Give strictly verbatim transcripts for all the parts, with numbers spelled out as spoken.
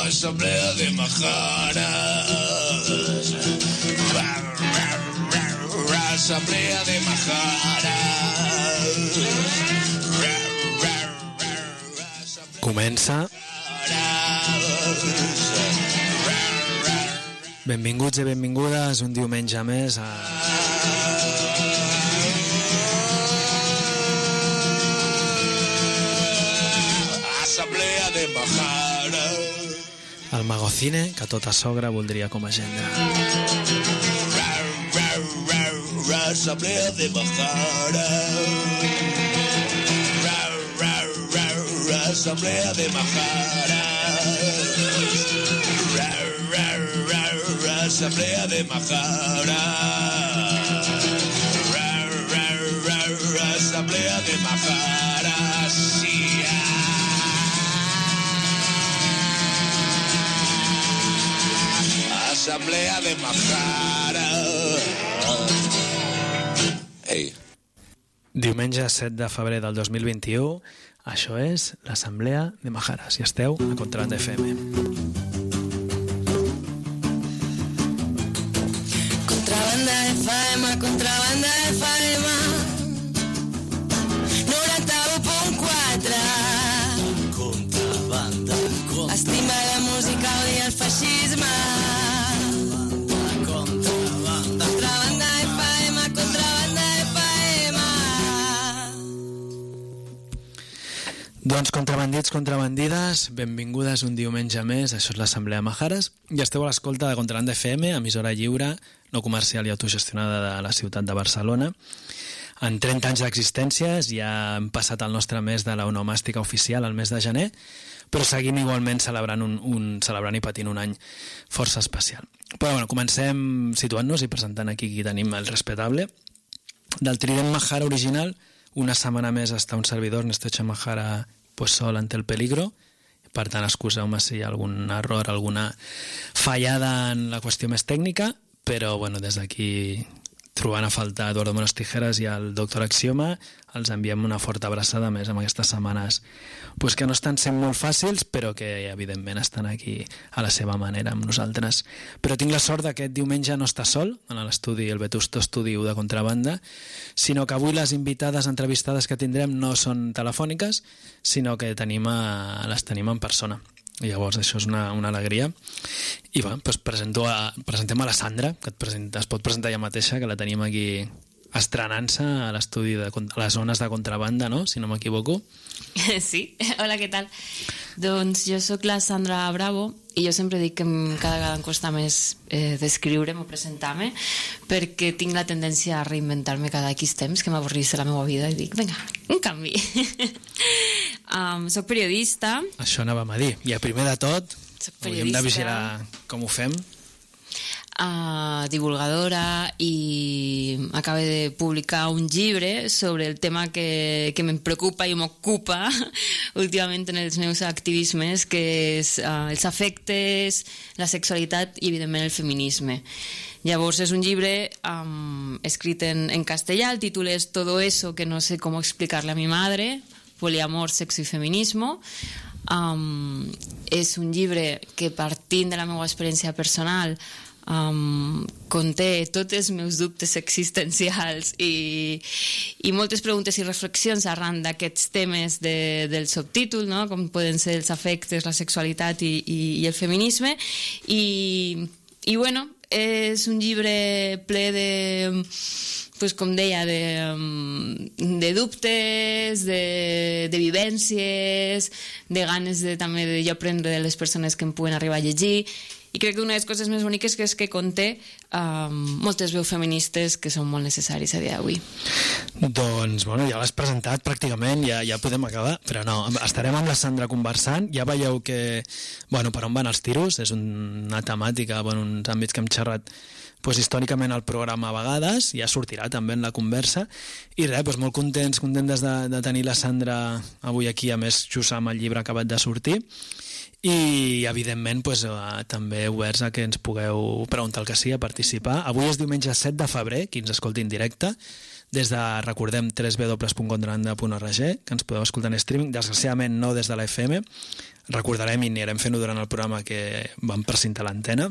Asamblea de Majaras. Asamblea de Majaras. Comença. Benvinguts i benvingudes un diumenge més a... Assemblea de Majaras. El Magocine, que tota sogra voldria com a agenda. Assemblea de Majaras. Assemblea de Majaras. Asamblea de Majaras. Asamblea de Majaras. Sí. Asamblea de Majaras. Ei. Diumenge set de febrer del dos mil vint-i-u, això és l'Assemblea de Majaras i esteu a Contrabanda F M. Contrabanda F M, Contrabanda F M, noranta-u punt quatre. Contrabanda, contrabanda. Estima la música, odia el feixisme. Contrabanda, contrabanda F M, Contrabanda F M. Doncs contrabandits, contrabandides, benvingudes un diumenge més, això és l'Assemblea de Majaras, i esteu a l'escolta de Contrabanda F M, emissora lliure, no comercial i autogestionada de la ciutat de Barcelona. En trenta anys d'existència ja hem passat el nostre mes de l'onomàstica oficial, el mes de gener, però seguim igualment celebrant, un, un, celebrant i patint un any força especial. Però bueno, comencem situant-nos i presentant aquí qui tenim el respetable. Del trident Majara original, una setmana més està un servidor, Ernesto Chamajara, pues sol ante el peligro. Per tant, excuseu-me si hi ha algun error, alguna fallada en la qüestió més tècnica, però bueno, des d'aquí, trobant a faltar Eduardo Menos Tijeras i el doctor Axioma, els enviem una forta abraçada més amb aquestes setmanes pues que no estan sent molt fàcils, però que evidentment estan aquí a la seva manera amb nosaltres. Però tinc la sort d'aquest diumenge no estar sol en l'estudi, el vetusto estudi de Contrabanda, sinó que avui les invitades entrevistades que tindrem no són telefòniques, sinó que tenim a, les tenim en persona. I llavors això és una, una alegria. I va, doncs presento a, presentem a la Sandra, que et, presenta, es pot presentar ella mateixa, que la tenim aquí estrenant-se a l'estudi de a les zones de Contrabanda, no? Si no m'equivoco. Sí, hola, què tal? Doncs jo sóc la Sandra Bravo i jo sempre dic que cada vegada em costa més eh, descriure'm o presentar-me perquè tinc la tendència a reinventar-me cada X temps, que m'avorrís de la meva vida i dic, vinga, un canvi. um, soc periodista. Això anàvem a dir. I a primer de tot, hauríem de vigilar com ho fem. Uh, divulgadora i acaba de publicar un llibre sobre el tema que, que em preocupa i m'ocupa últimament en els meus activismes, que és uh, els afectes, la sexualitat i evidentment el feminisme. Llavors és un llibre um, escrit en, en castellà, el títol és Todo eso que no sé cómo explicarle a mi madre, poliamor, sexo i feminismo. Um, és un llibre que, partint de la meva experiència personal, Um, conté tots els meus dubtes existencials i, i moltes preguntes i reflexions arran d'aquests temes de, del subtítol, no? Com poden ser els afectes, la sexualitat i, i, i el feminisme. I, i bueno, és un llibre ple de, pues, com deia, de, de dubtes, de, de vivències, de ganes de, també de jo aprendre de les persones que em puguen arribar a llegir. I crec que una de les coses més boniques que és que conté um, moltes veus feministes que són molt necessaris a dia d'avui. Doncs, bueno, ja l'has presentat pràcticament, ja, ja podem acabar, però no, estarem amb la Sandra conversant, ja veieu que, bueno, per on van els tiros, és una temàtica, bueno, uns àmbits que hem xerrat pues, històricament al programa a vegades, ja sortirà també en la conversa, i res, pues, molt contents, contentes de, de tenir la Sandra avui aquí, a més just amb el llibre acabat de sortir, i evidentment pues, eh, també oberts a que ens pugueu preguntar el que sigui, a participar. Avui és diumenge set de febrer, qui ens escolti en directe, des de, recordem, w w w punt contrabanda punt org, que ens podeu escoltar en streaming, desgraciadament no des de la F M, recordarem i anirem fent-ho durant el programa que vam precintar l'antena,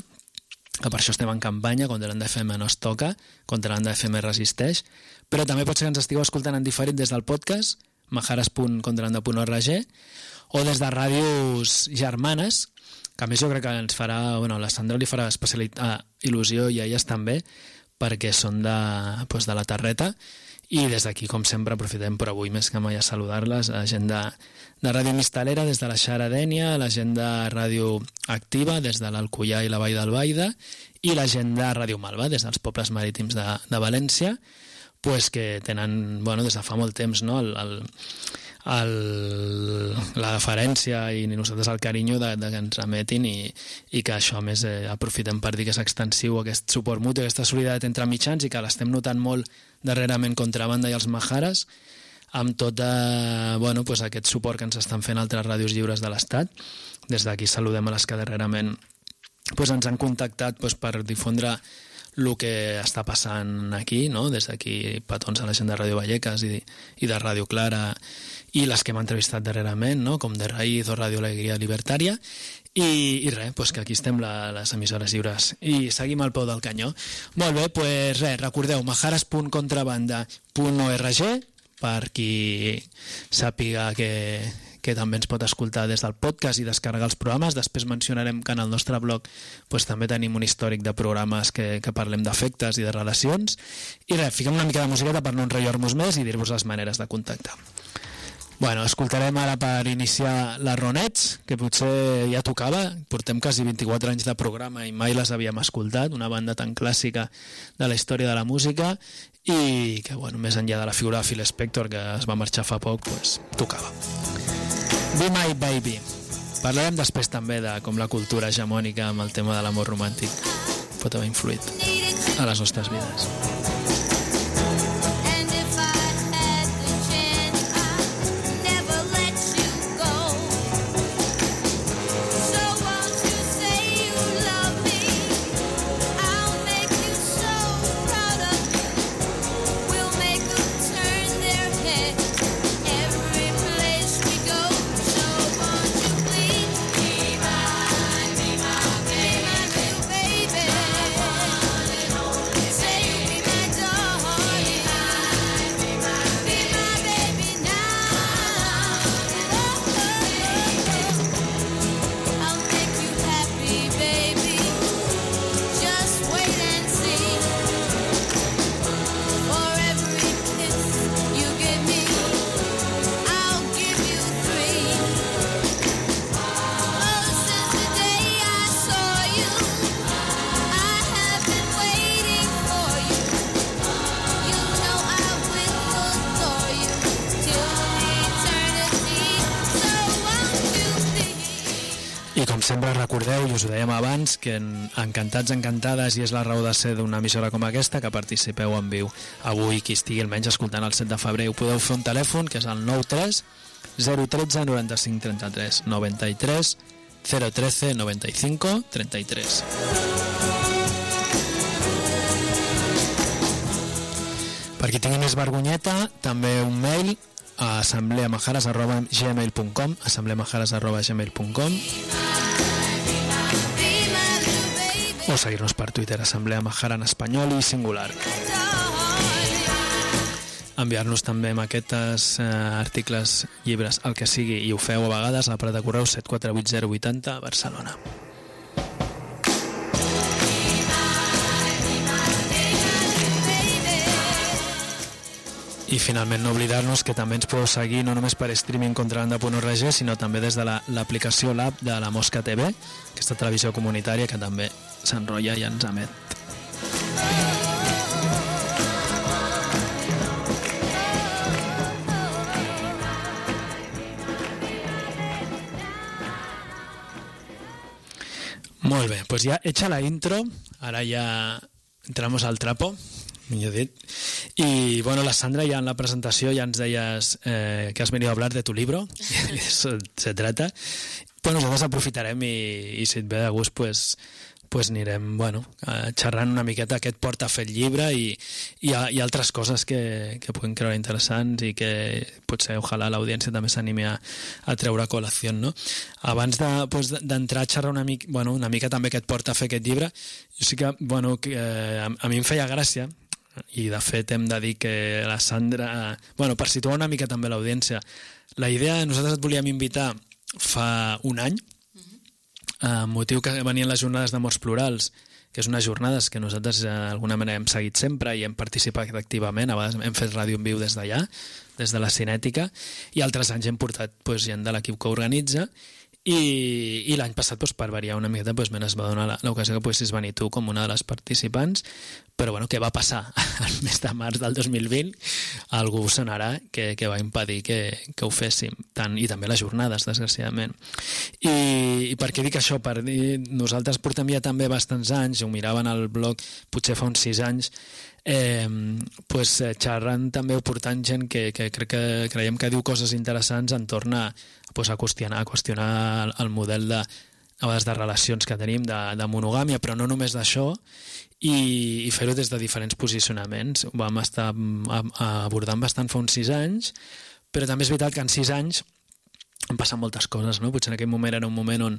que per això estem en campanya, Contrabanda F M no es toca, Contrabanda F M resisteix, però també pot ser que ens estigueu escoltant en diferit des del podcast, majares punt contrabanda punt org, o des de ràdios germanes, que a més jo crec que ens farà, bueno, a la Sandra li farà especialitat, ah, il·lusió i a elles també, perquè són de, doncs de la Terreta, i des d'aquí, com sempre, aprofitem per avui més que mai a saludar-les, a la gent de, de Ràdio Mistalera, des de la Xara Dènia, a la gent de Ràdio Activa, des de l'Alcoià i la Vall d'Albaida, i la gent de Ràdio Malva, des dels pobles marítims de, de València, pues que tenen, bueno, des de fa molt temps, no?, el, el, el, la deferència i nosaltres el carinyo de, de que ens emetin i, i que això, a més, eh, aprofitem per dir que és extensiu aquest suport mutu, aquesta solidaritat entre mitjans i que l'estem notant molt darrerament Contrabanda i els Majares, amb tot eh, bueno, pues aquest suport que ens estan fent altres ràdios lliures de l'Estat. Des d'aquí saludem a les que darrerament pues, ens han contactat pues, per difondre el que està passant aquí, no? Des d'aquí petons a la gent de Ràdio Vallecas i, i de Ràdio Clara i les que hem entrevistat darrerament, no? Com de Raïz o Ràdio Alegria Libertària, i, i res, pues que aquí estem la, les emissores lliures i seguim al peu del canyó. Molt bé, pues res, recordeu majares punt contrabanda punt org per qui sàpiga que, que també ens pot escoltar des del podcast i descarregar els programes. Després mencionarem que en el nostre blog pues, també tenim un històric de programes que, que parlem d'efectes i de relacions. I res, fiquem una mica de musiqueta per no enrotllar-nos més i dir-vos les maneres de contactar. Bueno, escoltarem ara per iniciar la Ronets, que potser ja tocava. Portem quasi vint-i-quatre anys de programa i mai les havíem escoltat, una banda tan clàssica de la història de la música i que, bueno, més enllà de la figura de Phil Spector, que es va marxar fa poc, pues, tocava. Be My Baby. Parlarem després també de com la cultura hegemònica amb el tema de l'amor romàntic pot haver influït a les nostres vides. Sempre recordeu, i us ho dèiem abans, que en Encantats, Encantades, i és la raó de ser d'una emissora com aquesta, que participeu en viu avui, qui estigui almenys escoltant el set de febrer. Ho podeu fer un telèfon, que és el nou tres zero un tres noranta-cinc trenta-tres noranta-tres zero tretze noventa-cinc trenta-tres. Per qui tingui més vergonyeta, també un mail a assembleamajares arroba gmail punt com assembleamajares arroba gmail punt com o seguir-nos per Twitter, Assemblea Majara en espanyol i singular. Enviar-nos també maquetes, eh, articles, llibres, el que sigui, i ho feu a vegades a l'aparat de correu set quatre vuit zero vuit zero a Barcelona. I finalment no oblidar-nos que també ens podeu seguir no només per streaming contrabanda punt org, sinó també des de l'aplicació, la, l'app de la Mosca T V, aquesta televisió comunitària que també s'enrotlla i ens emet. Molt bé, doncs ja hecha la intro, ara ja entramos al trapo, millor dit. Y bueno, la Sandra ya en la presentació ja ens deies eh, que has venido a hablar de tu libro, eso se trata. Pues nosotros aprofitarem i, i si et ve de gust, pues, pues anirem, bueno, xerrant una miqueta aquest porta a fer el llibre i, i, i altres coses que, que puguin creure interessants i que potser, ojalà, l'audiència també s'animi a, a treure a col·lació, no? Abans de, pues, d'entrar a xerrar una mica, bueno, una mica també que et porta a fer aquest llibre, jo sí que, bueno, que, eh, a, a mi em feia gràcia, i de fet hem de dir que la Sandra, bueno, per situar una mica també l'audiència, la idea, nosaltres et volíem invitar fa un any, Uh, motiu que venien les jornades de morts plurals, que és unes jornades que nosaltres d'alguna manera hem seguit sempre i hem participat activament, a vegades hem fet ràdio en viu des d'allà, des de la Cinètica, i altres anys hem portat pues, gent de l'equip que organitza, i, i l'any passat, pues, per variar una miqueta, pues, es va donar l'ocasió que poguessis venir tu com una de les participants, però bueno, què va passar el mes de març del dos mil vint? Algú sonarà que, que va impedir que, que ho féssim, tant, i també les jornades, desgraciadament. I, i per què dic això? Per dir, nosaltres portem ja també bastants anys, ho miraven al blog potser fa uns sis anys, eh, pues, xerrant també o portant gent que, que crec que creiem que diu coses interessants entorn a, pues, a qüestionar, a qüestionar el, el model de, a vegades de relacions que tenim, de, de monogàmia, però no només d'això, i, i fer-ho des de diferents posicionaments. Ho vam estar a, a abordant bastant fa uns sis anys, però també és veritat que en sis anys han passat moltes coses, no? Potser en aquell moment era un moment on,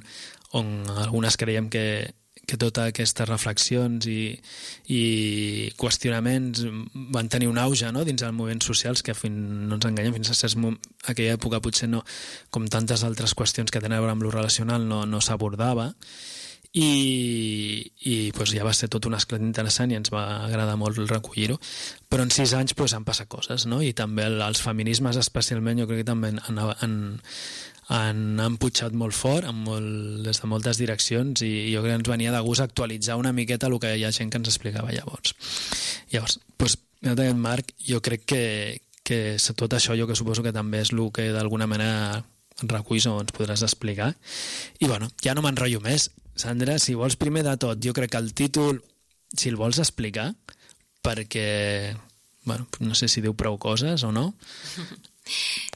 on algunes creiem que, que totes aquestes reflexions i, i qüestionaments van tenir un auge, no? Dins dels moviments socials que fin, no ens enganyem, fins a certs aquella època potser no, com tantes altres qüestions que tenen a veure amb lo relacional, no, no s'abordava, i, i pues, ja va ser tot un esclat interessant i ens va agradar molt recollir-ho, però en sis anys pues, han passat coses, no? I també el, els feminismes especialment jo crec que també han, han, han, han pujat molt fort en molt, des de moltes direccions, i jo crec que ens venia de gust actualitzar una miqueta el que hi ha gent que ens explicava llavors. Llavors, pues, en aquest marc, jo crec que, que tot això jo que suposo que també és el que d'alguna manera reculls o ens podràs explicar. I bueno, ja no m'enrotllo més. Sandra, si vols, primer de tot, jo crec que el títol, si el vols explicar, perquè, bueno, no sé si diu prou coses o no,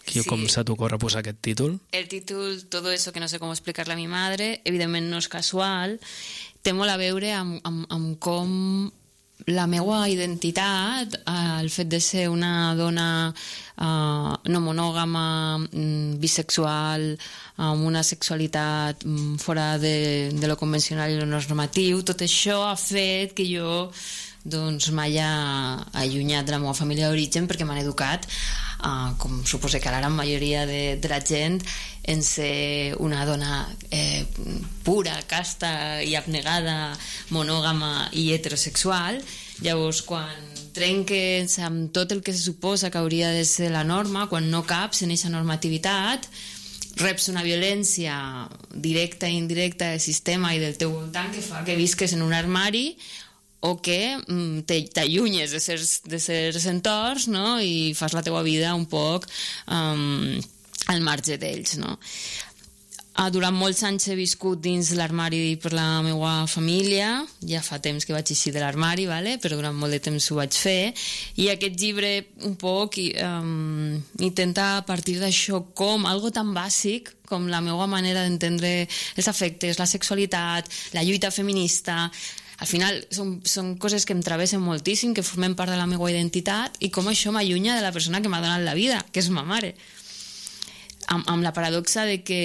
que sí. Com se t'ocorre posar aquest títol? El títol, Todo eso que no sé cómo explicarle a mi madre, evidentment no és casual, té molt a veure amb, amb, amb com la meva identitat, el fet de ser una dona uh, no monògama, bisexual, amb una sexualitat fora de, de lo convencional i lo normatiu, tot això ha fet que jo doncs m'hagi allunyat de la meva família d'origen, perquè m'han educat, uh, com suposo que la gran majoria de, de la gent, en ser una dona eh, pura, casta i abnegada, monògama i heterosexual. Llavors, quan trenques amb tot el que se suposa que hauria de ser la norma, quan no caps en aquesta normativitat, reps una violència directa i indirecta del sistema i del teu voltant que fa que visques en un armari o que mm, t'allunyes de certs, de certs entorns, no? I fas la teua vida un poc um, al marge d'ells, no? Uh, durant molts anys he viscut dins l'armari per la meva família, ja fa temps que vaig eixir de l'armari, vale? Però durant molt de temps ho vaig fer, i aquest llibre un poc um, intenta a partir d'això, com algo tan bàsic com la meva manera d'entendre els afectes, la sexualitat, la lluita feminista. Al final són, són coses que em travessen moltíssim, que formen part de la meva identitat, i com això m'allunya de la persona que m'ha donat la vida, que és ma mare. Amb, amb la paradoxa de que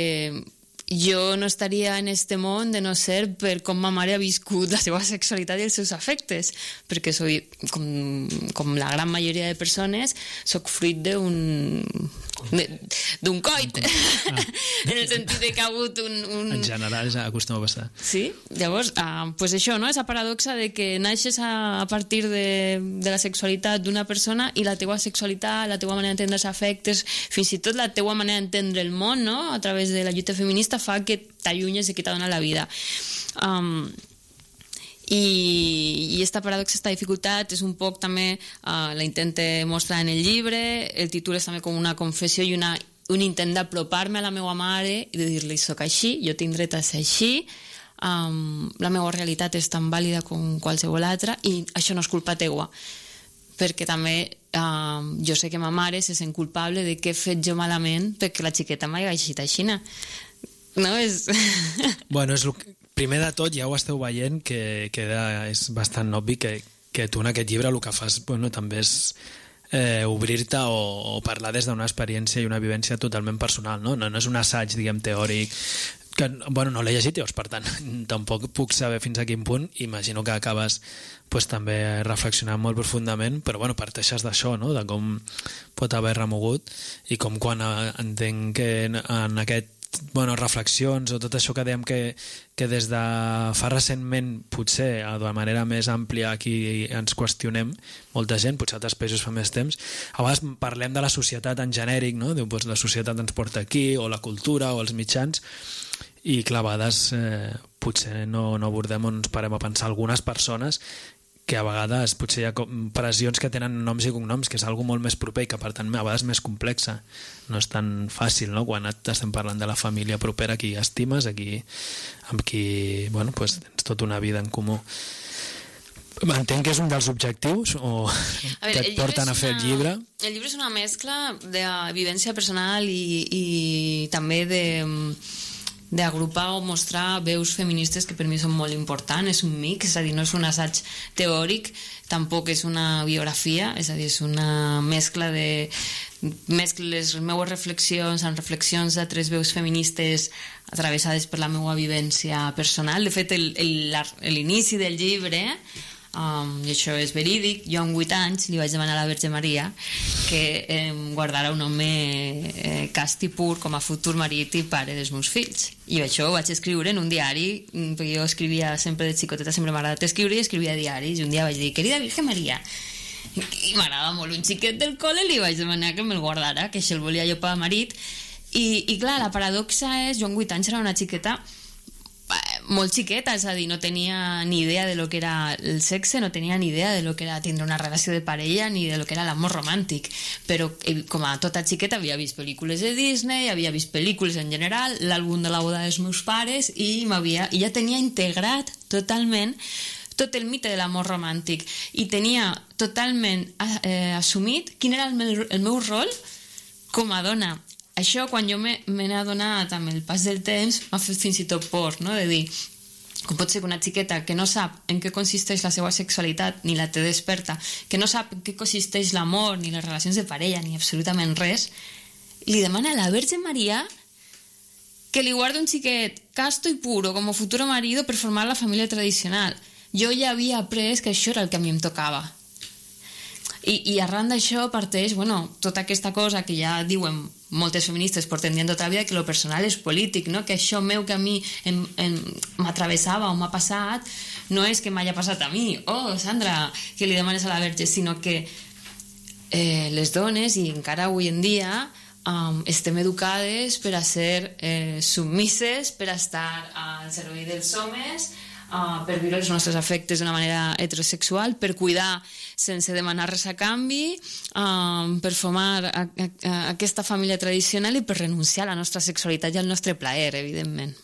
jo no estaria en este món de no ser per com ma mare ha viscut la seva sexualitat i els seus afectes, perquè soy, com, com la gran majoria de persones, soc fruit d'un d'un coit, ah. en el sentit de que ha hagut un... un... En general ja acostuma a passar. Sí, llavors, ah, pues això, no? Esa paradoxa de que naixes a, a partir de, de la sexualitat d'una persona i la teua sexualitat, la teua manera d'entendre els afectes, fins i tot la teua manera d'entendre el món, no? A través de la lluita feminista, fa que t'allunyes i que t'ha donat la vida. Um, i, i esta paradoxa, esta dificultat és un poc també uh, la intente mostrar en el llibre. El títol és també com una confessió i una, un intent d'apropar-me a la meva mare i de dir-li soc així, jo tinc dret a ser així, um, la meva realitat és tan vàlida com qualsevol altra i això no és culpa teua, perquè també uh, jo sé que ma mare se sent culpable de què he fet jo malament perquè la xiqueta m'hagi eixit així. No és... Bueno, és el que... primer de tot ja ho esteu veient que, que és bastant obvi que, que tu en aquest llibre el que fas bueno, també és eh, obrir-te o, o parlar des d'una experiència i una vivència totalment personal, no? No, no és un assaig, diguem, teòric que, bueno, no l'he llegit, llavors, per tant, tampoc puc saber fins a quin punt. Imagino que acabes pues, també reflexionant molt profundament, però bueno, parteixes d'això, no? De com pot haver remogut i com quan eh, entenc que en, en aquest bueno, reflexions o tot això que dèiem que, que des de fa recentment potser de manera més àmplia aquí ens qüestionem molta gent, potser altres països fa més temps, a vegades parlem de la societat en genèric, no? Diu, doncs, la societat ens porta aquí, o la cultura o els mitjans, i clar, a vegades eh, potser no, no abordem o ens parem a pensar algunes persones que a vegades potser hi ha pressions que tenen noms i cognoms, que és algo molt més proper i que per tant a vegades més complexa. No és tan fàcil, no? Quan estem parlant de la família propera, qui estimes, aquí, amb qui bueno, pues, tens tota una vida en comú. Entenc que és un dels objectius o a veure, que et porten a fer una, el llibre. El llibre és una mescla de vivència personal i, i també de... d'agrupar o mostrar veus feministes que per mi són molt importants, és un mix, és a dir, no és un assaig teòric, tampoc és una biografia, és a dir, és una mescla de mescles les meues reflexions amb reflexions d'altres veus feministes atravessades per la meva vivència personal. De fet, l'inici del llibre Um, i això és verídic, jo amb vuit anys li vaig demanar a la Verge Maria que eh, guardara un home eh, cast i pur com a futur marit i pare dels meus fills, i això ho vaig escriure en un diari, perquè jo escrivia sempre de xicoteta, sempre m'ha agradat escriure i escrivia diaris, i un dia vaig dir, querida Virgen Maria, i m'agrada molt un xiquet del col·le, li vaig demanar que me'l guardara, que això el volia jo per a marit, i, i clar, la paradoxa és, jo amb vuit anys era una xiqueta molt xiqueta, és a dir, no tenia ni idea de lo que era el sexe, no tenia ni idea de lo que era tindre una relació de parella ni de lo que era l'amor romàntic, però com a tota xiqueta havia vist pel·lícules de Disney, havia vist pel·lícules en general, l'àlbum de la boda dels meus pares, i m'havia, i ja tenia integrat totalment tot el mite de l'amor romàntic i tenia totalment eh, assumit quin era el meu, el meu rol com a dona. Això, quan jo me n'he adonat amb el pas del temps, m'ha fet fins i tot por, no? De dir, com pot ser que una xiqueta que no sap en què consisteix la seva sexualitat, ni la té desperta, que no sap en què consisteix l'amor, ni les relacions de parella, ni absolutament res, li demana a la Verge Maria que li guardi un xiquet casto i puro com a futuro marido per formar la família tradicional. Jo ja havia après que això era el que a mi em tocava. I, i arran d'això parteix, bueno, tota aquesta cosa que ja diuen moltes feministes porten dient tota la vida, que lo personal és polític, no? Que això meu que a mi m'atravessava o m'ha passat no és que m'hagi passat a mi, oh, Sandra, que li demanes a la Verge, sinó que eh, les dones, i encara avui en dia, um, estem educades per a ser eh, submises, per a estar al servei dels homes, Uh, per viure els nostres afectes d'una manera heterosexual, per cuidar sense demanar res a canvi, uh, per formar a, a, a aquesta família tradicional i per renunciar a la nostra sexualitat i al nostre plaer, evidentment.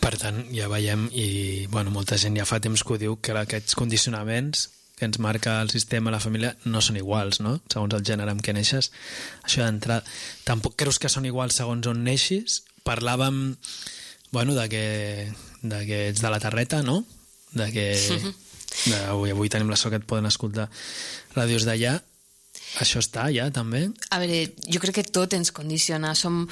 Per tant, ja veiem, i bueno, molta gent ja fa temps que ho diu, que aquests condicionaments que ens marca el sistema, la família, no són iguals, no? Segons el gènere amb què neixes. Això d'entrada, tampoc creus que són iguals segons on neixis? Parlàvem, bueno, de que de que ets de la Terreta, no? De que de, avui, avui tenim la sort que et poden escoltar ràdios d'allà. Això està ja, també? A veure, jo crec que tot ens condiciona. Som,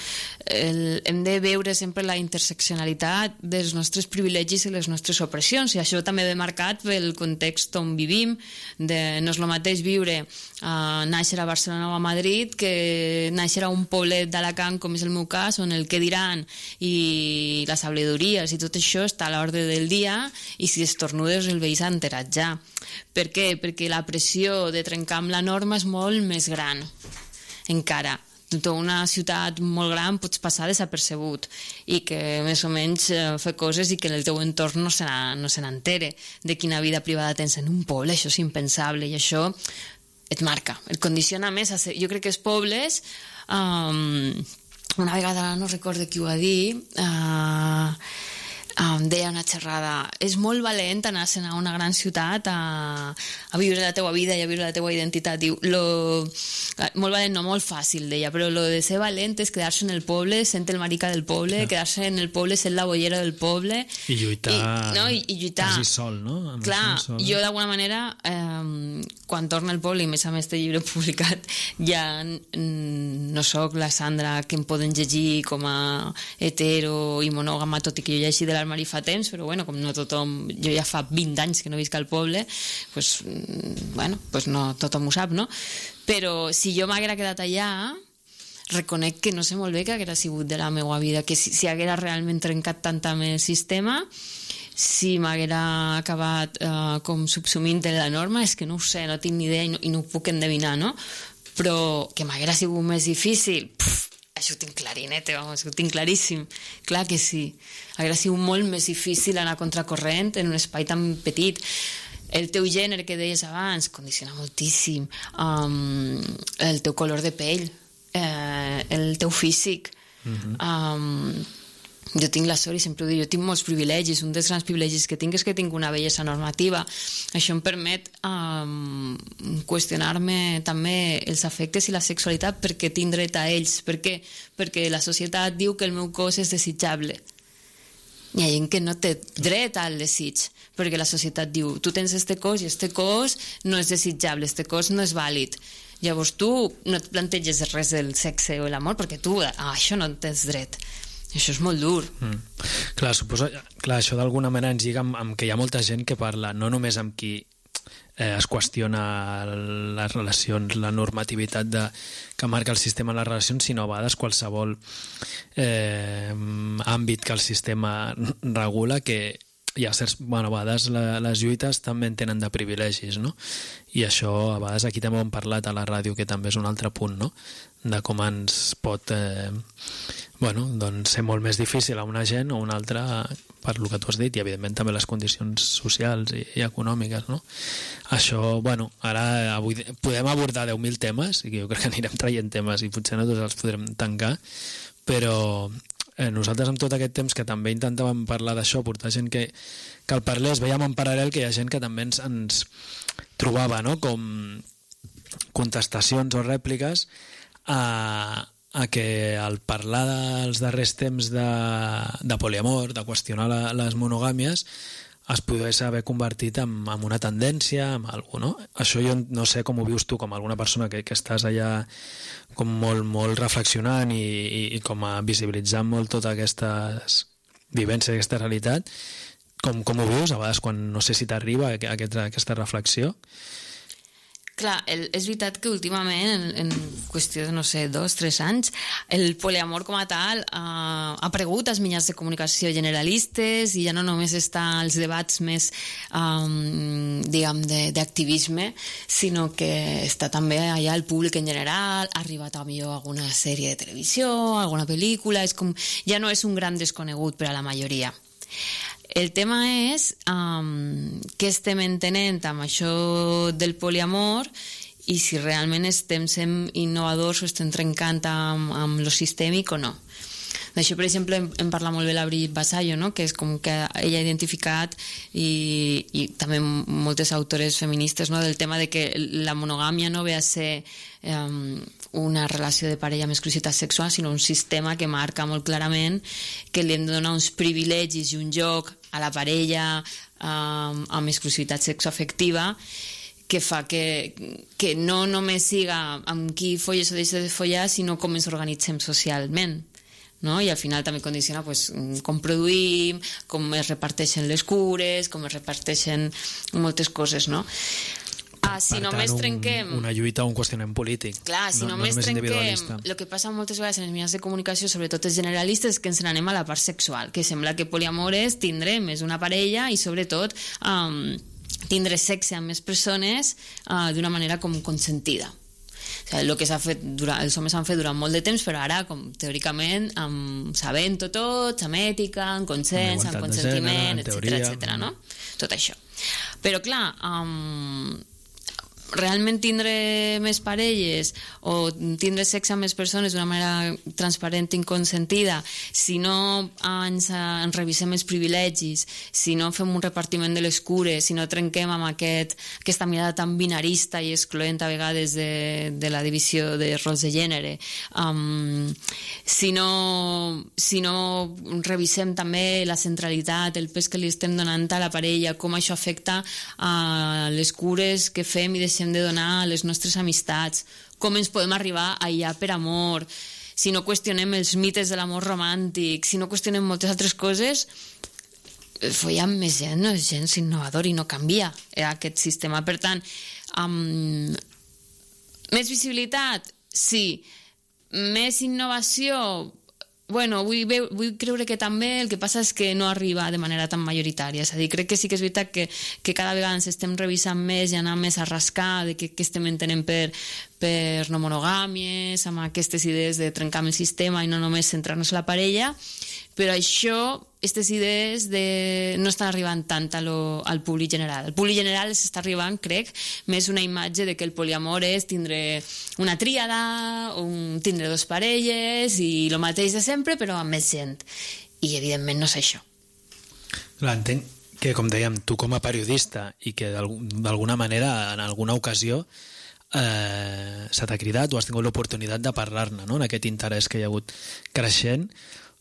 el, hem de veure sempre la interseccionalitat dels nostres privilegis i les nostres opressions, i això també ve marcat pel context on vivim. De, no és el mateix viure a nàixer a Barcelona o a Madrid que nàixer a un poblet d'Alacant, com és el meu cas, on el que diran i les sabedories i tot això està a l'ordre del dia, i si estornudes el veïs ha enterat ja. Per què? Perquè la pressió de trencar amb la norma és molt més gran encara. Tota una ciutat molt gran pots passar desapercebut i que més o menys eh, fer coses i que el teu entorn no se no se n'entere de quina vida privada tens en un poble. Això és impensable i això et marca, et condiciona més. A ser, jo crec que els pobles, um, una vegada no recordo qui ho va dir, uh, em deia una xerrada, és molt valent anar-se'n a una gran ciutat a, a viure la teua vida i a viure la teua identitat. Diu, lo, molt valent, no molt fàcil, deia, però lo de ser valent és quedar-se en el poble sent el marica del poble, sí. Quedar-se en el poble sent la bollera del poble. I lluitar, I, no? I, i lluitar. quasi sol, no? Amb Clar, sol. Jo d'alguna manera, eh, quan torno al poble, i més a més este llibre publicat, ja no sóc la Sandra que em poden llegir com a hetero i monògama, tot i que jo llegi de l'armari fa temps, però bueno, com no tothom, jo ja fa vint anys que no visc al poble, pues, bueno, pues no tothom ho sap, no? Però si jo m'haguera quedat allà, reconec que no sé molt bé què haguera sigut de la meva vida, que si, si haguera realment trencat tant amb el sistema, si m'haguera acabat eh, com subsumint en la norma, és que no ho sé, no tinc ni idea i no, i no ho puc endevinar, no? Però que m'haguera sigut més difícil, puf, això ho tinc clarinete, vamos, ho tinc claríssim. Clar que sí. Hauria sigut molt més difícil anar a contracorrent en un espai tan petit. El teu gènere, que deies abans, condiciona moltíssim. Um, el teu color de pell, eh, el teu físic. Uh-huh. um, jo tinc la sort, i sempre ho dic, jo tinc molts privilegis. Un dels grans privilegis que tinc és que tinc una bellesa normativa. Això em permet um, qüestionar-me també els afectes i la sexualitat, perquè tinc dret a ells. Per què? Perquè la societat diu que el meu cos és desitjable. Hi ha gent que no té dret al desig, perquè la societat diu, tu tens este cos i este cos no és desitjable, este cos no és vàlid. Llavors tu no et planteges res del sexe o l'amor, perquè tu a això no tens dret. Això és molt dur. Mm. Clar, suposo, clar, això d'alguna manera ens lliga amb, amb que hi ha molta gent que parla no només amb qui eh, es qüestiona les relacions, la normativitat de, que marca el sistema en les relacions, sinó a vegades qualsevol eh, àmbit que el sistema regula, que hi ha certs, bueno, a vegades la, les lluites també en tenen de privilegis, no? I això a vegades aquí també ho hem parlat a la ràdio, que també és un altre punt, no? De com ens pot eh, bueno, doncs ser molt més difícil a una gent o a una altra, per lo que tu has dit, i evidentment també les condicions socials i, i econòmiques, no? Això, bueno, ara avui podem abordar deu mil temes, i jo crec que anirem traient temes i potser no tots els podrem tancar, però eh, nosaltres amb tot aquest temps que també intentàvem parlar d'això, portar gent que, que el parlés, veiem en paral·lel que hi ha gent que també ens, ens trobava, no?, com contestacions o rèpliques a, a que al parlar dels darrers temps de, de poliamor, de qüestionar la, les monogàmies, es pogués haver convertit en, en una tendència, en alguna cosa, no? Això jo no sé com ho vius tu, com alguna persona que, que estàs allà com molt, molt reflexionant i, i, i com a visibilitzant molt totes aquestes vivències, aquesta realitat. Com, com ho vius a vegades quan no sé si t'arriba aquesta, aquesta reflexió? Clar, el, és veritat que últimament, en, en qüestió de, no sé, dos, tres anys, el poliamor com a tal uh, ha aparegut als mitjans de comunicació generalistes i ja no només està als debats més, um, diguem, d'activisme, sinó que està també allà al públic en general, ha arribat a millor alguna sèrie de televisió, alguna pel·lícula, és com, ja no és un gran desconegut per a la majoria. El tema és um, què estem entenent amb això del poliamor i si realment estem sent innovadors o estem trencant amb, amb lo sistèmic o no. D'això, per exemple, em, em parla molt bé la Brigitte Vasallo, no?, que és com que ella ha identificat i, i també moltes autores feministes, no?, del tema de que la monogàmia no ve a ser um, una relació de parella amb exclusivitat sexual, sinó un sistema que marca molt clarament que li hem de donar uns privilegis i un joc a la parella um, amb exclusivitat sexoafectiva que fa que, que no només siga amb qui folles o deixes de follar, sinó com ens organitzem socialment, no? I al final també condiciona pues, com produïm, com es reparteixen les cures, com es reparteixen moltes coses, no? Ah, si per només tant, trenquem... Un, una lluita o un qüestionament polític. Clar, si no, només no trenquem... El que passa moltes vegades en els mitjans de comunicació, sobretot els generalistes, és que ens n'anem a la part sexual, que sembla que poliamor és tindre més una parella i sobretot um, tindre sexe amb més persones uh, d'una manera com consentida. O sigui, el que s'ha fet durant, els homes han fet durant molt de temps, però ara, com teòricament, amb, sabent-ho tot, amb ètica, amb consens, amb consentiment, etcètera, etcètera, no? Tot això. Però, clar, um, realment tindre més parelles o tindre sexe amb més persones d'una manera transparent i consentida, si no ens, ens revisem els privilegis, si no fem un repartiment de les cures, si no trenquem amb aquest, aquesta mirada tan binarista i excloent a vegades de, de la divisió de rols de gènere, um, si, no, si no revisem també la centralitat, el pes que li estem donant a la parella, com això afecta a les cures que fem i deixem de donar a les nostres amistats, com ens podem arribar a aïllar per amor, si no qüestionem els mites de l'amor romàntic, si no qüestionem moltes altres coses, follar amb més gent no és gens innovador i no canvia eh, aquest sistema. Per tant, um, més visibilitat? Sí. Més innovació? Bueno, vull, veu, vull creure que també, el que passa és que no arriba de manera tan majoritària. És a dir, crec que sí que és veritat que, que cada vegada ens estem revisant més i anar més a rascar de què, què estem entenent per, per no monogàmies, amb aquestes idees de trencar amb el sistema i no només centrar-nos en la parella, però això, aquestes idees de, no estan arribant tant a lo, al públic general. Al públic general s'està arribant, crec, més una imatge de que el poliamor és tindre una tríada, un, tindre dos parelles i el mateix de sempre, però amb més gent. I, evidentment, no és això. Clar, entenc que, com dèiem, tu com a periodista i que d'alguna manera, en alguna ocasió, eh, se t'ha cridat o has tingut l'oportunitat de parlar-ne, no?, en aquest interès que hi ha hagut creixent.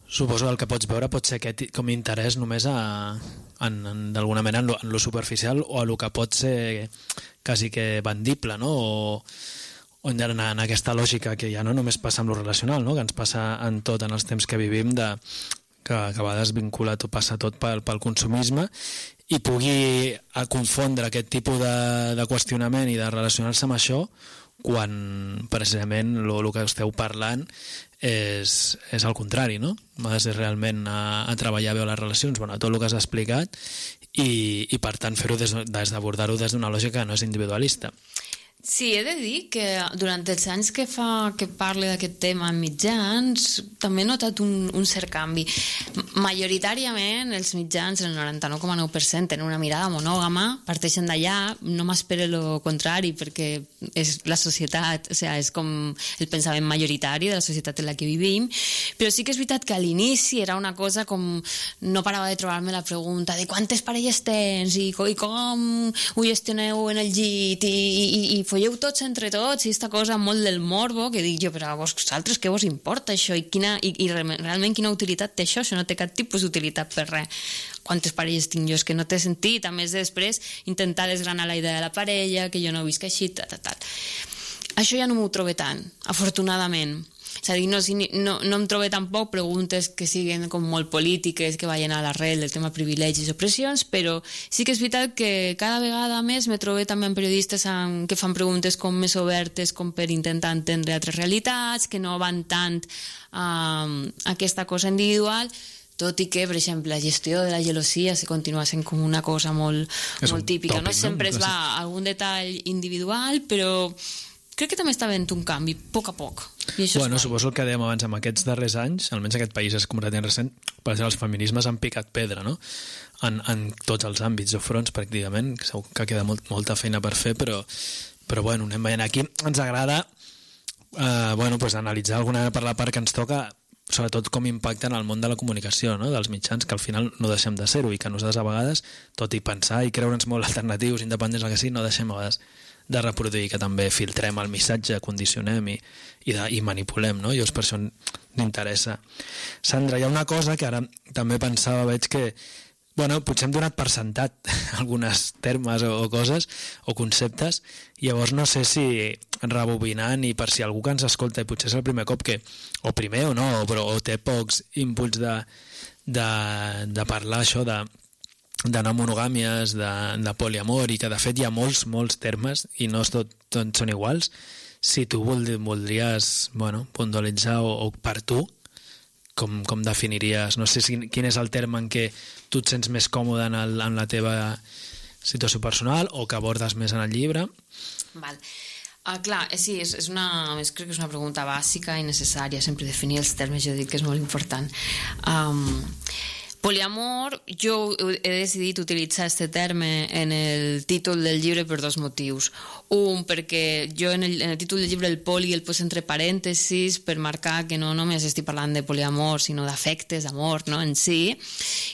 Suposo que el que pots veure pot ser aquest com a interès només a, en, en, d'alguna manera en lo, en lo superficial o a lo que pot ser quasi que vendible, no? O, o en, en aquesta lògica que ja no només passa amb lo relacional, no? Que ens passa en tot, en els temps que vivim, de, que, que a vegades vincula tot, passa tot pel, pel consumisme i pugui a confondre aquest tipus de, de qüestionament i de relacionar-se amb això quan precisament el que esteu parlant és, és el contrari, no? Ha de ser realment a, a treballar bé les relacions, bueno, tot el que has explicat i, i per tant fer-ho des, des d'abordar-ho des d'una lògica que no és individualista. Sí, he de dir que durant els anys que fa que parle d'aquest tema en mitjans també he notat un, un cert canvi. Majoritàriament els mitjans, el noranta-nou coma nou per cent, tenen una mirada monògama, parteixen d'allà, no m'espero el contrari perquè és la societat, o sigui, és com el pensament majoritari de la societat en la que vivim, però sí que és veritat que a l'inici era una cosa com no parava de trobar-me la pregunta de quantes parelles tens i, i com ho gestioneu en el llit i, i, i folleu tots entre tots i aquesta cosa molt del morbo que dic jo, però a vosaltres què vos importa això i, quina, i, i realment quina utilitat té això? Això no té cap tipus d'utilitat per res. Quantes parelles tinc jo? És que no té sentit. A més, després intentar desgranar la idea de la parella, que jo no visc així, tal, tal, tal. Això ja no m'ho trobo tant, afortunadament. És a dir, no, no, no em trobo tampoc preguntes que siguin com molt polítiques, que vagin a l'arrel del tema privilegis i opressions, però sí que és veritat que cada vegada més me trobo també amb periodistes amb, que fan preguntes com més obertes, com per intentar entendre altres realitats, que no van tant a, a aquesta cosa individual, tot i que, per exemple, la gestió de la gelosia se continua sent com una cosa molt, molt típica. Tòpic, no sempre no? es va a algun detall individual, però crec que també està havent un canvi, a poc a poc. I això bueno, suposo el que dèiem abans, amb aquests darrers anys, almenys aquest país és completament recent, per exemple, els feminismes han picat pedra, no? En, en tots els àmbits o fronts, pràcticament, que segur que queda molt, molta feina per fer, però, però bueno, anem veient aquí. Ens agrada eh, bueno, pues, analitzar alguna per la part que ens toca, sobretot com impacta en el món de la comunicació, no? Dels mitjans, que al final no deixem de ser-ho i que nosaltres a vegades, tot i pensar i creure'ns molt alternatius, independents, el que sigui, no deixem a vegades de reproduir, que també filtrem el missatge, condicionem i, i, de, i manipulem, no? Llavors per això m'interessa. Sandra, hi ha una cosa que ara també pensava, veig que bueno, potser hem donat per sentat algunes termes o, o coses o conceptes, llavors no sé si rebobinant i per si algú que ens escolta i potser és el primer cop que, o primer o no, però o té pocs inputs de, de, de parlar això de de no monogàmies, de, de poliamor i que de fet hi ha molts, molts termes i no tot, tot són iguals. Si tu voldries bueno, puntualitzar o, o per tu com, com definiries, no sé si, quin és el terme en què tu et sents més còmode en, el, en la teva situació personal o que abordes més en el llibre? Val. Ah, clar, sí, és, és una, crec que és una pregunta bàsica i necessària, sempre definir els termes, jo dic que és molt important. Um, Poliamor, jo he decidit utilitzar este terme en el títol del llibre per dos motius. Un, perquè jo en el, en el títol del llibre el poli el poso entre parèntesis per marcar que no només estic parlant de poliamor, sinó d'afectes, d'amor, no?, en si.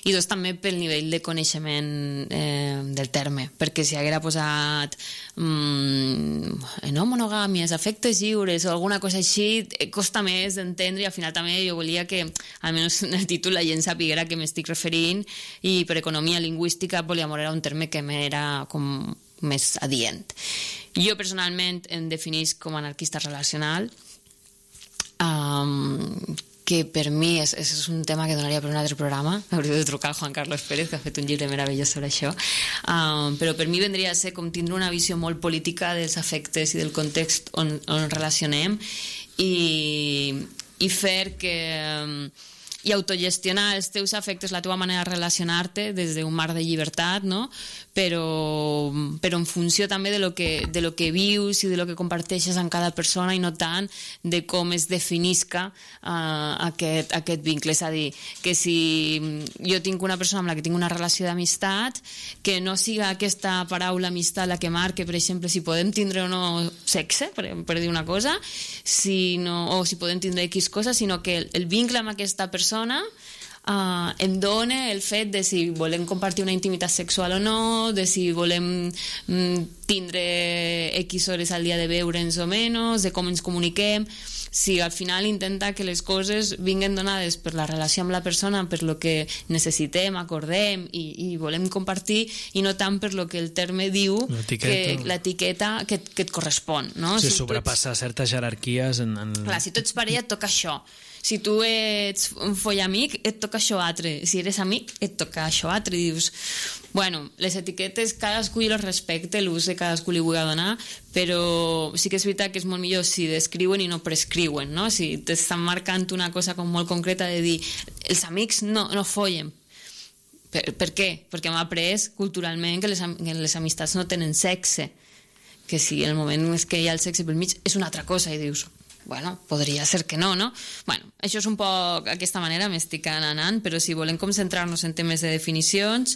I dos, també pel nivell de coneixement eh, del terme, perquè si haguera posat mm, no monogàmies, afectes lliures o alguna cosa així, costa més d'entendre, i al final també jo volia que, almenys en el títol, la gent sapiguera que m'estic referint, i per economia lingüística poliamor era un terme que m'era com més adient. Jo personalment em definisc com a anarquista relacional, um, que per mi és, és un tema que donaria per un altre programa. Hauria de trucar al Juan Carlos Pérez, que ha fet un llibre meravellós sobre això, um, però per mi vendria a ser com tindre una visió molt política dels afectes i del context on, on relacionem, i, i fer que um, i autogestionar els teus afectes, la teva manera de relacionar-te des d'un marc de llibertat, no? Però, però en funció també de lo, que, de lo que vius i de lo que comparteixes amb cada persona, i no tant de com es definisca uh, aquest, aquest vincle. És a dir, que si jo tinc una persona amb la que tinc una relació d'amistat, que no siga aquesta paraula amistat la que marque, per exemple, si podem tindre o no sexe, per, per dir una cosa, si no, o si podem tindre X cosa, sinó que el, el vincle amb aquesta persona Uh, em dona el fet de si volem compartir una intimitat sexual o no, de si volem mm, tindre X hores al dia de veure'ns o menys, de com ens comuniquem. Si al final intenta que les coses vinguen donades per la relació amb la persona, per lo que necessitem, acordem i, i volem compartir, i no tant per lo que el terme diu, l'etiqueta que, que et correspon, no? Si, si sobrepassa ets... certes jerarquies en, en... Clar, si tu ets parella et toca això. Si tu ets un follamic, et toca això altre. Si eres amic, et toca això altre. I dius, bueno, les etiquetes cadascú hi les respecte, l'ús de cadascú li vull donar, però sí que és veritat que és molt millor si descriuen i no prescriuen, no? Si t'estan marcant una cosa com molt concreta de dir, els amics no, no follen. Per, per què? Perquè hem après culturalment que les, que les amistats no tenen sexe, que si en el moment que hi ha el sexe pel mig és una altra cosa, i dius, bueno, podria ser que no, no? Bueno, això és un poc, d'aquesta manera m'estic anant, però si volem concentrar-nos en temes de definicions,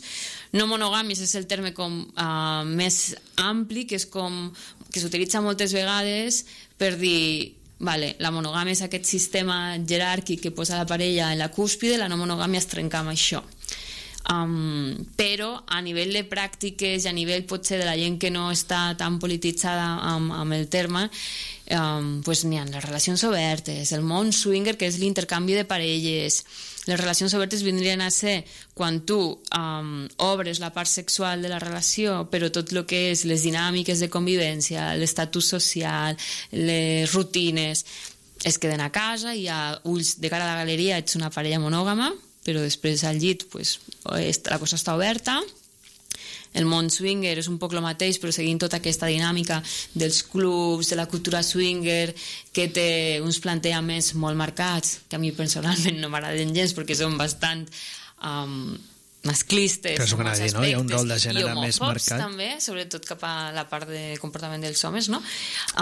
no monogàmies és el terme com uh, més ampli, que és com que s'utilitza moltes vegades per dir, vale, la monogàmia és aquest sistema jeràrquic que posa la parella en la cúspide, la no monogàmia es trenca amb això. Um, però a nivell de pràctiques i a nivell potser de la gent que no està tan polititzada amb, amb el terme, um, pues n'hi ha les relacions obertes, el món swinger, que és l'intercanvi de parelles. Les relacions obertes vindrien a ser quan tu um, obres la part sexual de la relació, però tot el que és les dinàmiques de convivència, l'estatus social, les rutines, es queden a casa, i a ulls de cara a la galeria ets una parella monògama, però després al llit pues, la cosa està oberta. El món swinger és un poc el mateix, però seguint tota aquesta dinàmica dels clubs, de la cultura swinger, que té uns plantejaments molt marcats, que a mi personalment no m'agraden gens perquè són bastant um, masclistes, que en molts dir, aspectes, no? Hi ha un rol de gènere més marcat, també, sobretot cap a la part de comportament dels homes, no?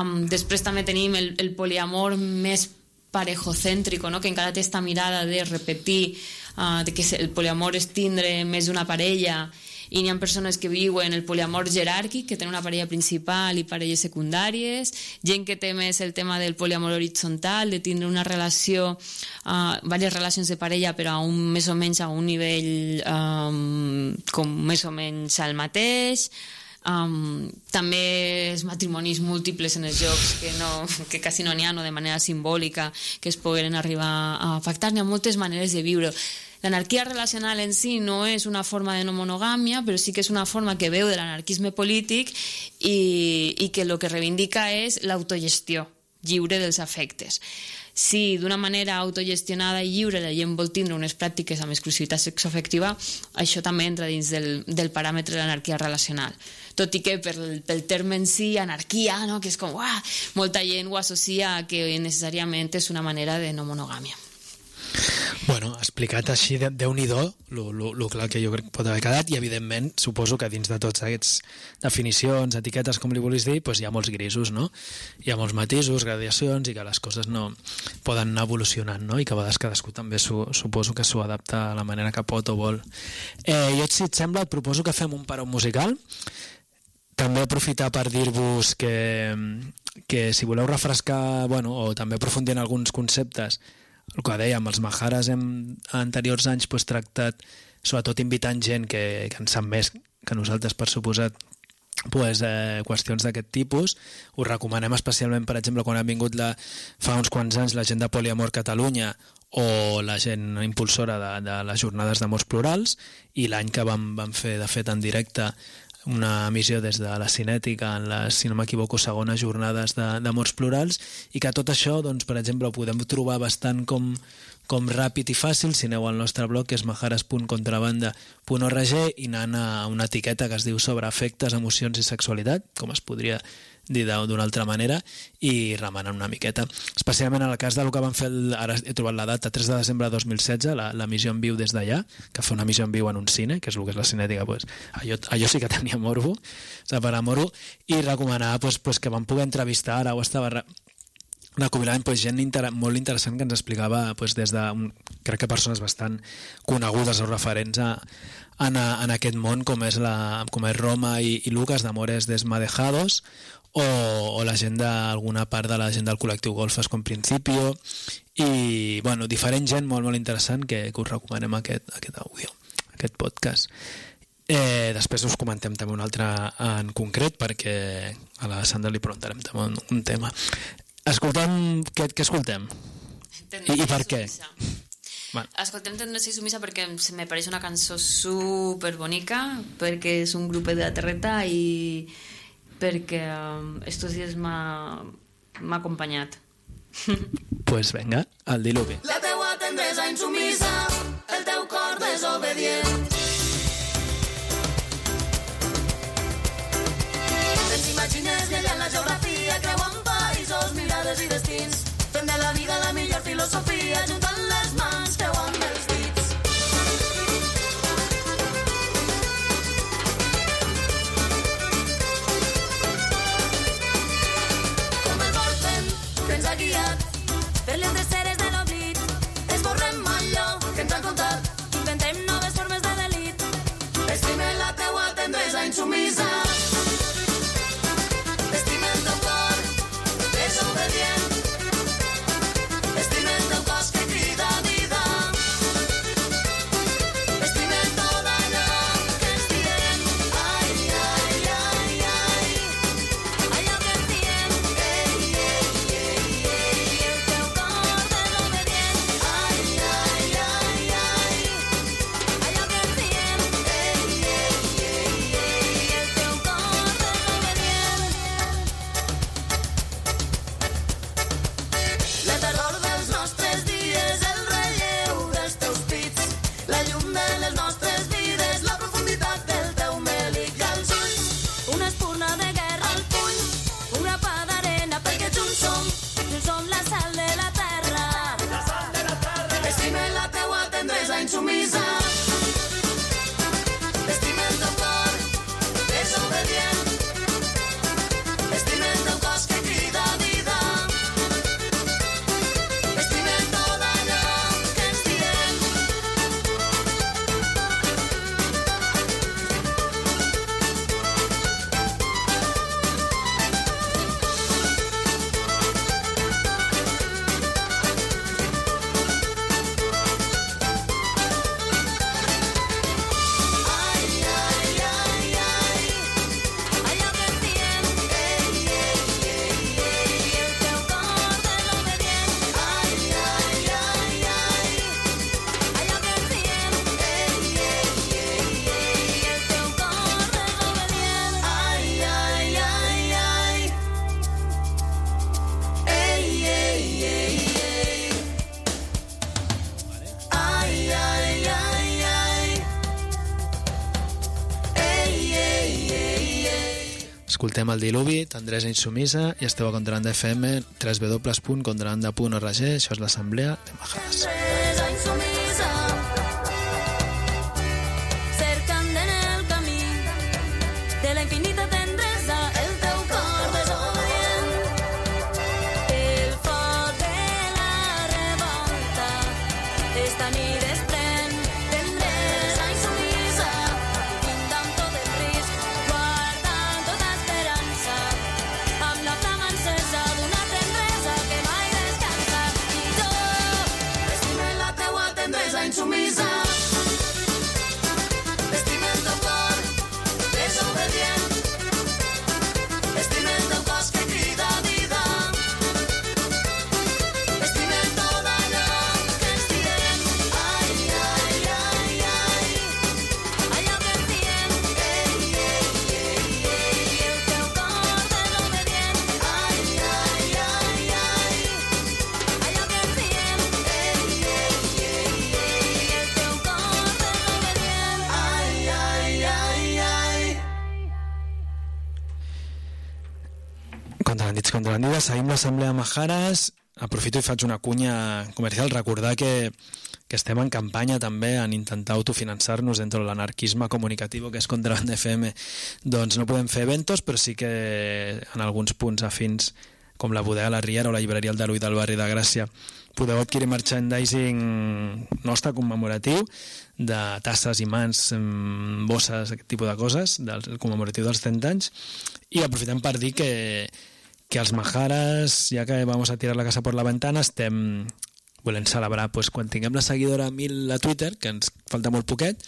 Um, després també tenim el, el poliamor més parejocèntrico, no? Que encara té aquesta mirada de repetir, uh, de que el poliamor és tindre més d'una parella, i n'hi ha persones que viuen el poliamor jeràrquic, que tenen una parella principal i parelles secundàries, gent que té més el tema del poliamor horitzontal, de tindre una relació, uh, diverses relacions de parella, però a un, més o menys a un nivell um, com més o menys al mateix. Um, també els matrimonis múltiples en els jocs, que, no, que quasi no n'hi ha, no, de manera simbòlica, que es pogueren arribar a pactar. N'hi ha moltes maneres de viure. L'anarquia relacional en si no és una forma de no monogàmia, però sí que és una forma que veu de l'anarquisme polític, i, i que el que reivindica és l'autogestió lliure dels afectes. Si d'una manera autogestionada i lliure la gent vol tindre unes pràctiques amb exclusivitat sexoafectiva, això també entra dins del, del paràmetre de l'anarquia relacional. Tot i que per, pel terme en si, anarquia, no? Que és com, uah, molta gent ho associa a que necessàriament és una manera de no monogàmia. Bueno, explicat així, de, Déu-n'hi-do, el clar que jo crec que pot haver quedat, i evidentment suposo que dins de tots aquests definicions, etiquetes, com li volis dir, doncs hi ha molts grisos, no? Hi ha molts matisos, gradacions, i que les coses no poden anar evolucionant, no? I que a vegades cadascú també su, suposo que s'ho adapta a la manera que pot o vol. Eh, jo, si et sembla, et proposo que fem un paró musical. També aprofitar per dir-vos que, que si voleu refrescar, bueno, o també aprofundir en alguns conceptes, el que dèiem, els Maharas hem a anteriors anys pues, tractat, sobretot invitant gent que, que en sap més que nosaltres, per suposat, pues, eh, qüestions d'aquest tipus. Us recomanem especialment, per exemple, quan ha vingut la, fa uns quants anys la gent de Poliamor Catalunya o la gent impulsora de, de les jornades d'amors plurals, i l'any que vam, vam fer, de fet, en directe una emissió des de la Cinètica en les, si no m'equivoco, segones jornades d'amors plurals, i que tot això, doncs, per exemple, ho podem trobar bastant com, com ràpid i fàcil si aneu al nostre blog, que és maharas punt contrabanda punt org, i anant a una etiqueta que es diu sobre afectes, emocions i sexualitat, com es podria dir d'una altra manera, i remenant una miqueta. Especialment en el cas del que van fer, el, ara he trobat la data, tres de desembre de dos mil setze, l'emissió en viu des d'allà, que fa una emissió en viu en un cine, que és el que és la Cinètica, pues, allò, allò sí que tenia morbo, separar morbo, i recomanar pues, pues, que vam poder entrevistar, ara ho estava recopilant pues, gent inter molt interessant que ens explicava pues, des de, un, crec que persones bastant conegudes o referents a, en, a, en aquest món, com és, la, com és Roma i, i Lucas d'Amores Desmadejados, o, o la gent d'alguna part de la gent del col·lectiu Golfes com Principio, i bueno, diferent gent molt molt interessant que, que us recomanem aquest, aquest àudio, aquest podcast. Eh, després us comentem també un altre en concret, perquè a la Sandra li preguntarem també un, un tema. Escoltem, què, què escoltem? I, i per què? Bueno. Escoltem Tendresa i Sumisa perquè me pareix una cançó super bonica, perquè és un grup de terreta i perquè um, estos dies m'ha acompanyat. Pues venga, al diluvi. La teua tendresa insumisa, el teu cor desobedient. Ens imagines viatjant la geografia, creuant països, mirades i destins, fent de la vida la millor filosofia, juntant les mans, creuant els dits. Com el vorten que ens ha guiat per les dreceres de l'oblit, esborrem allò que ens han contat, inventem noves formes de delit. Estime la teua tendresa insumisa, estime el teu cor desobedient, estime el teu cos que crida vida, estime tot allò que ens diem, ai, ai, ai, ai, allò que ens diem, ei, ei, ei, ei, el teu cor desobedient, ai, ai, ai, ai, allò que ens diem, ei, ei, ei, ei, el teu cor desobedient. La tardor dels nostres dies, el relleu dels teus pits, la llum de les nostres vides, la profunditat del teu mèlic i als ulls, una espurna de guerra al puny, un grapà d'arena perquè junts som, junts som la sal de la terra. La sal de la terra. Estime la teua tendresa insumisa, estime el teu cor desobedient, estime el teu cos que crida vida, estime tot allò que ens diem. Ai, ai, ai, ai, allò que ens diem, ei, ei, ei, ei, el teu cor desobedient, ai, ai, ai, ai, allò que ens diem, ei, ei, ei, ei, el teu cor desobedient, ai, ai, ai, ai, ei, ei, ei, ei, ai, ai, ai, ai, ei, ei, ei, ei. Escoltem el diluvi, Tendresa insumisa, i esteu a Contrabanda F M, w w w punt contrabanda punt org, això és l'assemblea de Maharas. Tendresa esta nit es pren tendresa insumisa, pintant tot el risc, guardant tota esperança, amb la flama encesa d'una tendresa que mai descansa. I jo estime la teua tendresa insumisa, estime el teu cor desobedient, estime el teu cos que crida vida, estime tot allò que ens diem, ai, ai, ai, ai, allò que ens diem, ei, ei, ei, ei, el teu cor desobedient, ai, ai, ai, ai, allò que ens diem, ei, ei, ei, ei, el teu cor desobedient, ai, ai, ai, ai. Contrabandits, contrabandides, seguim l'Assemblea Majares. Aprofito i faig una cunya comercial. Recordar que, que estem en campanya també en intentar autofinançar-nos dentro de l'anarquisme comunicatiu que és Contraband F M. Doncs no podem fer eventos, però sí que en alguns punts afins, com la Bodega La Riera o la llibreria El Daluí del barri de Gràcia, podeu adquirir merchandising nostre commemoratiu de tasses, imants, em, bosses, aquest tipus de coses, del commemoratiu dels trenta anys. I aprofitem per dir que, que els Majares, ja que vamos a tirar la casa por la ventana, estem volent celebrar pues, quan tinguem la seguidora mil a Twitter, que ens falta molt poquet,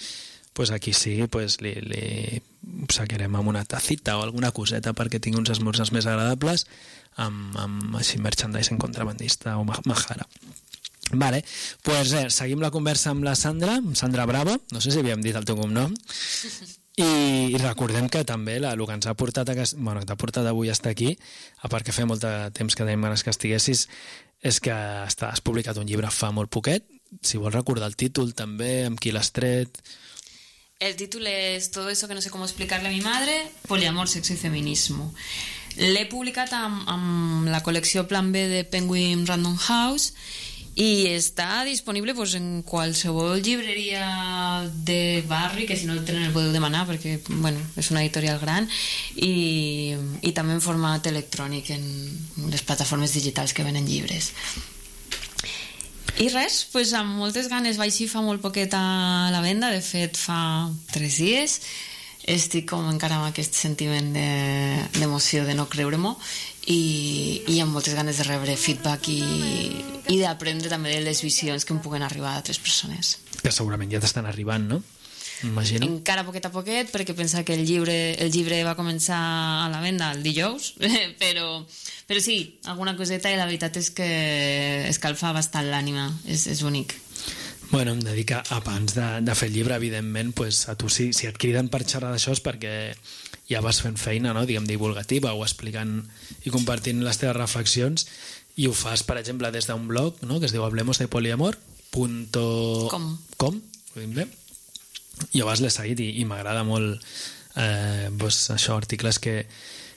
pues aquí sí pues, li, li saquerem amb una tacita o alguna coseta perquè tingui uns esmorzars més agradables amb, amb així merchandising contrabandista o Majara. Vale, pues eh, seguim la conversa amb la Sandra, amb Sandra Bravo, no sé si havíem dit el teu cognom, i, i recordem que també la, el que ens ha portat, a, bueno, que t'ha portat avui a estar aquí, a part que feia molt de temps que tenim ganes que estiguessis, és que està, has publicat un llibre fa molt poquet. Si vols recordar el títol també, amb qui l'has tret. El título es Todo eso que no sé cómo explicarle a mi madre, poliamor, sexo y feminismo. L'he publicat amb, amb la col·lecció Plan B de Penguin Random House i està disponible pues, en qualsevol llibreria de barri, que si no el tenen el podeu demanar perquè bueno, és una editorial gran, i, i també en format electrònic en les plataformes digitals que venen llibres. I res, pues, amb moltes ganes, vaig així fa molt poquet a la venda, de fet fa tres dies, estic com encara amb aquest sentiment de, d'emoció de no creure-m'ho i, i amb moltes ganes de rebre feedback i, i d'aprendre també de les visions que em puguen arribar d'altres persones. Que segurament ja t'estan arribant, no? Imagino. Encara poquet a poquet, perquè pensa que el llibre, el llibre va començar a la venda el dijous, però, però sí, alguna coseta, i la veritat és que escalfa bastant l'ànima, és, és bonic. Bueno, em dedica, abans de, de fer el llibre, evidentment, pues, a tu si, si et criden per xerrar d'això és perquè ja vas fent feina, no? Diguem, divulgativa o explicant i compartint les teves reflexions, i ho fas, per exemple, des d'un blog, no? Que es diu hablemos de poliamor punto com, ho dic bé? I abans l'he seguit i, i m'agrada molt eh, pues, això, articles que,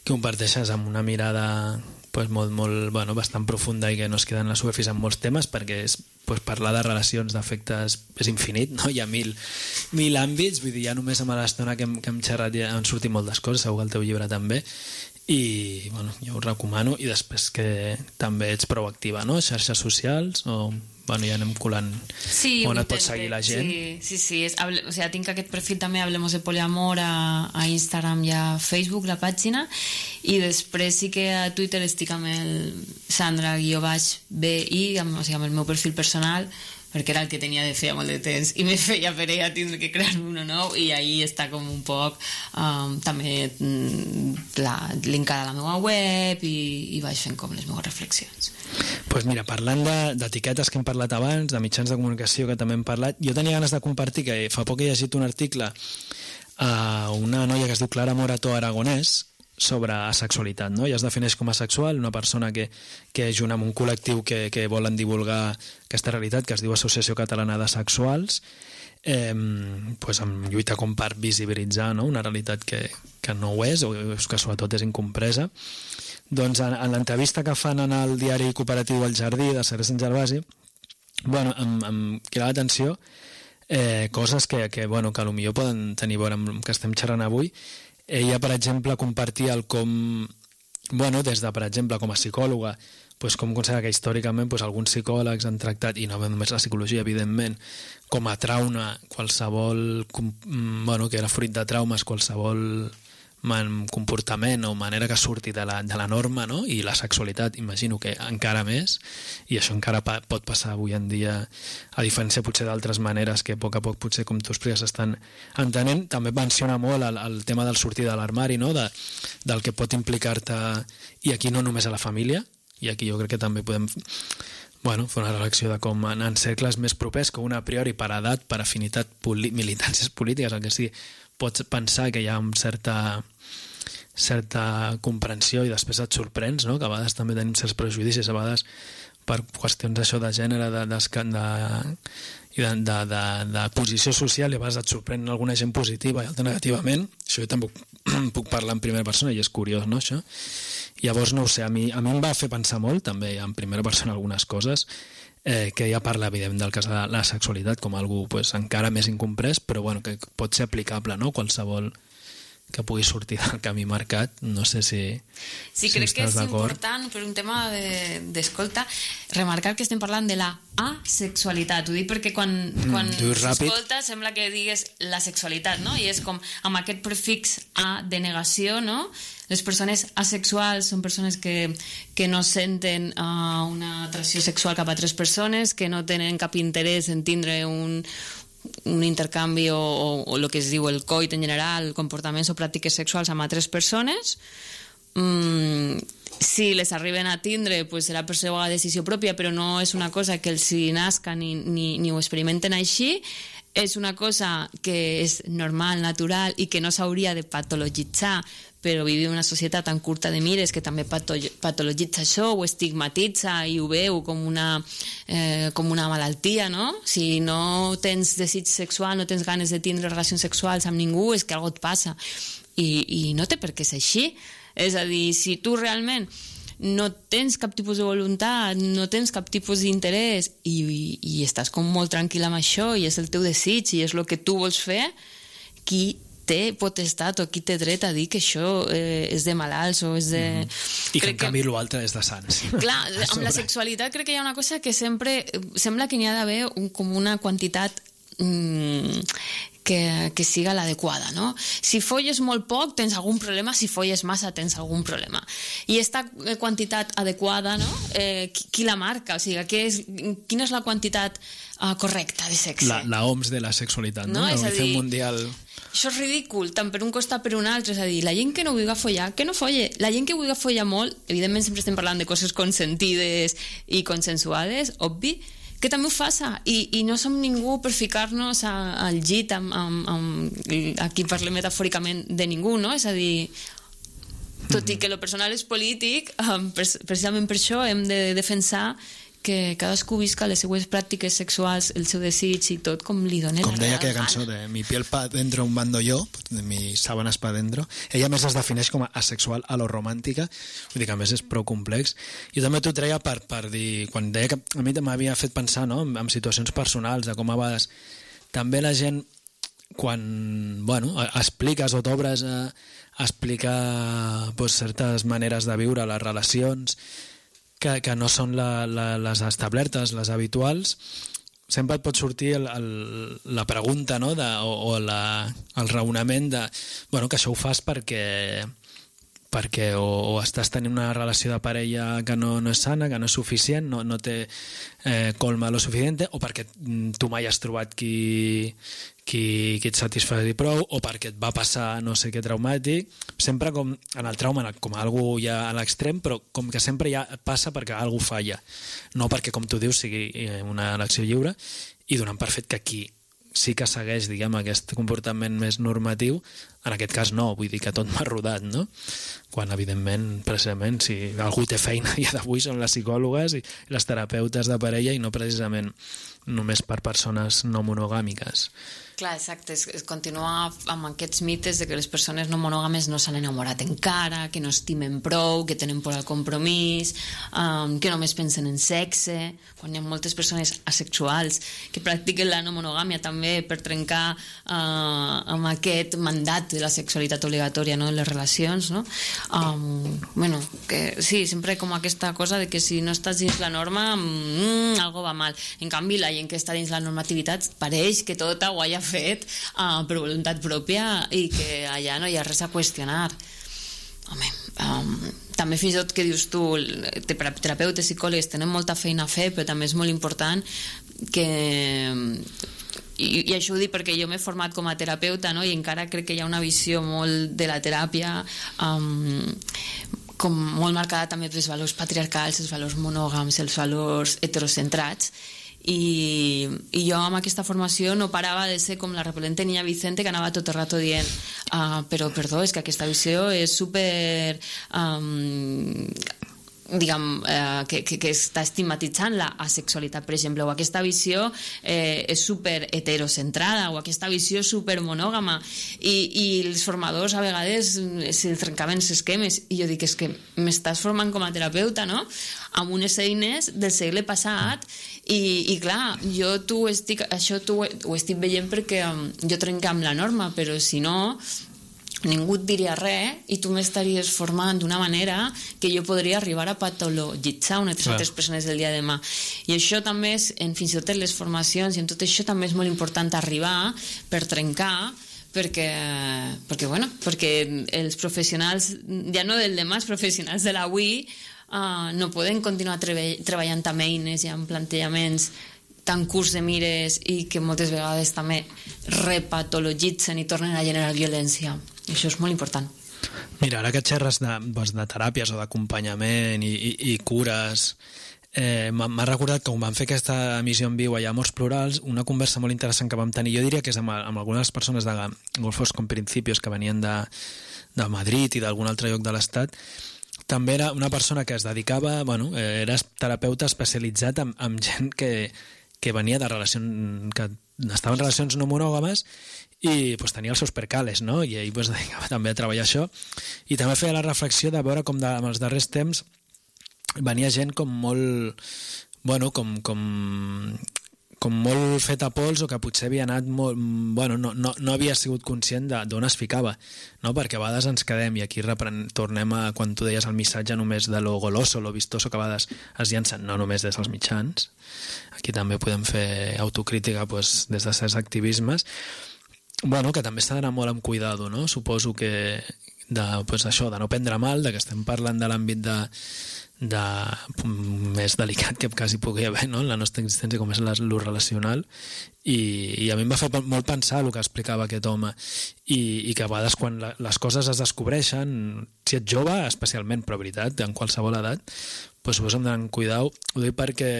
que comparteixes amb una mirada pues, molt, molt, bueno, bastant profunda i que no es queden a la superfície en molts temes, perquè és, pues, parlar de relacions d'afectes és infinit, no? Hi ha mil, mil àmbits, vull dir, ja només amb l'estona que hem, que hem xerrat ja han sortit moltes coses, segur que el teu llibre també, i bueno, jo ho recomano. I després que també ets proactiva, no? Xarxes socials o... Bueno, ja anem colant sí, on et pot seguir la gent. Sí, sí, sí. És, hable, o sea, tinc aquest perfil també, Hablemos de Poliamor, a, a Instagram i a Facebook, la pàgina, i després sí que a Twitter estic amb el Sandra-B I, amb, o sigui, amb el meu perfil personal, perquè era el que tenia de feia molt de temps i me feia per ella tindre que crear uno nou, i ahí està com un poc um, també la, linkada a la meva web i, i vaig fent com les meves reflexions. Pues mira, parlant d'etiquetes que hem parlat abans, de mitjans de comunicació que també hem parlat, jo tenia ganes de compartir que fa poc he llegit un article a una noia que es diu Clara Morató Aragonès sobre asexualitat, no? Ella es defineix com a asexual, una persona que, que és junt amb un col·lectiu que, que volen divulgar aquesta realitat, que es diu Associació Catalana d'Asexuals, eh, pues amb lluita com per visibilitzar, no? Una realitat que, que no ho és, o que sobretot és incompresa. Doncs en, en l'entrevista que fan en el diari cooperatiu El Jardí de Serres Sant Gervasi, bueno, em, em crida l'atenció eh, coses que, que, bueno, que potser poden tenir a veure amb que estem xerrant avui. Ella, per exemple, compartia el com, bueno, des de, per exemple, com a psicòloga, pues, com considera que històricament pues, alguns psicòlegs han tractat, i no només la psicologia, evidentment, com a trauma qualsevol, com, bueno, que era fruit de traumes, qualsevol man, comportament o manera que surti de la, de la norma, no? I la sexualitat, imagino que encara més, i això encara pa, pot passar avui en dia, a diferència potser d'altres maneres que a poc a poc potser, com tu expliques, estan entenent. També menciona molt el, el tema del sortir de l'armari, no? De, del que pot implicar-te, i aquí no només a la família, i aquí jo crec que també podem bueno, fer una reflexió de com en, en cercles més propers, que una a priori per edat, per afinitat, poli, militàncies polítiques, el que sigui, pots pensar que hi ha una certa, certa comprensió i després et sorprens, no? Que a vegades també tenim certs prejudicis, a vegades per qüestions d'això de gènere, de, de, de, de, de, de, de posició social, i a vegades et sorprèn alguna gent positiva i altra negativament. Això jo també puc parlar en primera persona i és curiós, no, això? Llavors, no ho sé, a mi, a mi em va fer pensar molt, també en primera persona algunes coses, eh, que ja parla, evidentment, del cas de la, la sexualitat com algú pues, encara més incomprès, però bueno, que pot ser aplicable, no? Qualsevol que pugui sortir del camí marcat, no sé si Sí, si crec que és d'acord. important, per un tema d'escolta, de, remarcar que estem parlant de la asexualitat. Ho dic perquè quan, quan s'escolta sembla que digues la sexualitat, no? I és com amb aquest prefix a de negació, no? Les persones asexuals són persones que, que no senten uh, una atracció sexual cap a altres persones, que no tenen cap interès en tindre un, un intercanvi o, o, o el que es diu el coit en general, comportaments o pràctiques sexuals amb altres persones. Mm, si les arriben a tindre, pues serà per seva decisió pròpia, però no és una cosa que els hi nasca ni, ni, ni ho experimenten així. És una cosa que és normal, natural i que no s'hauria de patologitzar, però vivim en una societat tan curta de mires que també patologitza això, ho estigmatitza i ho veu com una, eh, com una malaltia, no? Si no tens desig sexual, no tens ganes de tindre relacions sexuals amb ningú, és que alguna cosa et passa. I, i no té per què ser així. És a dir, si tu realment no tens cap tipus de voluntat, no tens cap tipus d'interès i, i, i estàs com molt tranquil amb això i és el teu desig i és el que tu vols fer, qui té potestat o qui té dret a dir que això eh, és de malalts o és de... Mm. I que en canvi l'altre és de sants. Clar, amb la sexualitat crec que hi ha una cosa que sempre sembla que n'hi ha d'haver un, com una quantitat mm, que, que siga l'adequada, no? Si folles molt poc tens algun problema, si folles massa tens algun problema. I aquesta quantitat adequada, no? Eh, qui, qui la marca? O sigui, que és, quina és la quantitat uh, correcta de sexe? La, la O M S de la sexualitat, no? No? La És a dir, mundial... Això és ridícul, tant per un costat per un altre. És a dir, la gent que no vulgui follar, que no folle. La gent que vulgui follar molt, evidentment sempre estem parlant de coses consentides i consensuades, obvi, que també ho faça. I, i no som ningú per ficar-nos a, al llit amb, amb, amb... Aquí parlem metafòricament de ningú, no? És a dir, tot i que lo personal és polític, precisament per això hem de defensar que cadascú visca les seues pràctiques sexuals, el seu desig i tot com li doni com la deia real aquella cançó de mi piel pa dentro un bando yo, de mi sábanas pa dentro, ella més es defineix com a asexual a lo romàntica, vull dir que a més és prou complex. Jo també t'ho treia per, per dir, quan deia que a mi m'havia fet pensar, no?, en, en situacions personals, de com a vegades també la gent quan, bueno, expliques o t'obres a, a explicar pues, certes maneres de viure les relacions que, que no són la, la, les establertes, les habituals, sempre et pot sortir el, el, la pregunta, no? de, o, o la, el raonament de bueno, que això ho fas perquè, perquè o, o estàs tenint una relació de parella que no, no és sana, que no és suficient, no, no té eh, colma lo suficient, o perquè tu mai has trobat qui, qui, qui et satisfaci prou, o perquè et va passar no sé què traumàtic, sempre com en el trauma com algú ja a l'extrem, però com que sempre ja passa perquè algú falla, no perquè, com tu dius, sigui una elecció lliure, i donant per fet que aquí sí que segueix, diguem, aquest comportament més normatiu, en aquest cas no, vull dir que tot m'ha rodat, no? Quan, evidentment, precisament, si algú té feina ja d'avui són les psicòlogues i les terapeutes de parella i no precisament només per persones no monogàmiques. Clar, exacte, es, es continua amb aquests mites de que les persones no monògames no s'han enamorat encara, que no estimen prou, que tenen por al compromís, um, que només pensen en sexe, quan hi ha moltes persones asexuals que practiquen la no monogàmia també per trencar uh, amb aquest mandat de la sexualitat obligatòria, no?, en les relacions, no? Um, bueno, que sí, sempre com aquesta cosa de que si no estàs dins la norma, mm, algo va mal. En canvi, la gent que està dins la normativitat pareix que tot ho hagi fet uh, per voluntat pròpia i que allà no hi ha res a qüestionar. Home, um, també fins i tot que dius tu, terapeutes, psicòlegs tenen molta feina a fer, però també és molt important que... I, i això ho dic perquè jo m'he format com a terapeuta, no? I encara crec que hi ha una visió molt de la teràpia um, com molt marcada també pels valors patriarcals, els valors monògams, els valors heterocentrats. I, i jo amb aquesta formació no parava de ser com la repel·lente niña Vicente que anava tot el rato dient uh, però perdó, és que aquesta visió és super um, diguem, eh, que, que, que està estigmatitzant la asexualitat, per exemple, o aquesta visió eh, és super heterocentrada, o aquesta visió super monògama, i, i els formadors a vegades se'ls trencaven els esquemes, i jo dic, és que m'estàs formant com a terapeuta, no?, amb unes eines del segle passat, i, i clar, jo tu estic, això tu ho estic veient perquè um, jo trenco amb la norma, però si no ningú et diria res i tu m'estaries formant d'una manera que jo podria arribar a patologitzar unes altres persones del dia de demà. I això també és, en fins i tot en les formacions i en tot això també és molt important arribar per trencar, perquè, perquè, bueno, perquè els professionals, ja no del demà, els professionals de l'avui uh, no poden continuar treball, treballant amb eines i amb plantejaments tan curts de mires i que moltes vegades també repatologitzen i tornen a generar violència. I això és molt important. Mira, ara que xerres de, doncs, de teràpies o d'acompanyament i, i, i cures, eh, m'ha recordat que quan vam fer aquesta emissió en viu allà a Morts Plurals, una conversa molt interessant que vam tenir, jo diria que és amb, amb algunes persones de Golfos con Principios que venien de, de Madrid i d'algun altre lloc de l'Estat. També era una persona que es dedicava, bueno, era terapeuta especialitzat en, en gent que, que venia de relacions, que estaven en relacions no monògames i pues, tenia els seus percales, no? I ell pues, dedicava també a treballar això. I també feia la reflexió de veure com de, en els darrers temps venia gent com molt, bueno, com, com, com molt fet a pols o que potser havia anat molt, bueno, no, no, no havia sigut conscient d'on es ficava, no? Perquè a vegades ens quedem, i aquí repren, tornem a quan tu deies el missatge només de lo goloso, lo vistoso, que a vegades es llancen no només des dels mitjans, aquí també podem fer autocrítica pues, des de certs activismes, bueno, que també s'ha d'anar molt amb cuidado, no? Suposo que de, pues, això, de no prendre mal, de que estem parlant de l'àmbit de, de, més delicat que quasi pugui haver, no?, en la nostra existència, com és el relacional, i, i a mi em va fer molt pensar el que explicava aquest home, i, i que a vegades quan la, les coses es descobreixen, si ets jove especialment, però veritat, en qualsevol edat, pues, suposo hem d'anar amb cuidado. Ho dic perquè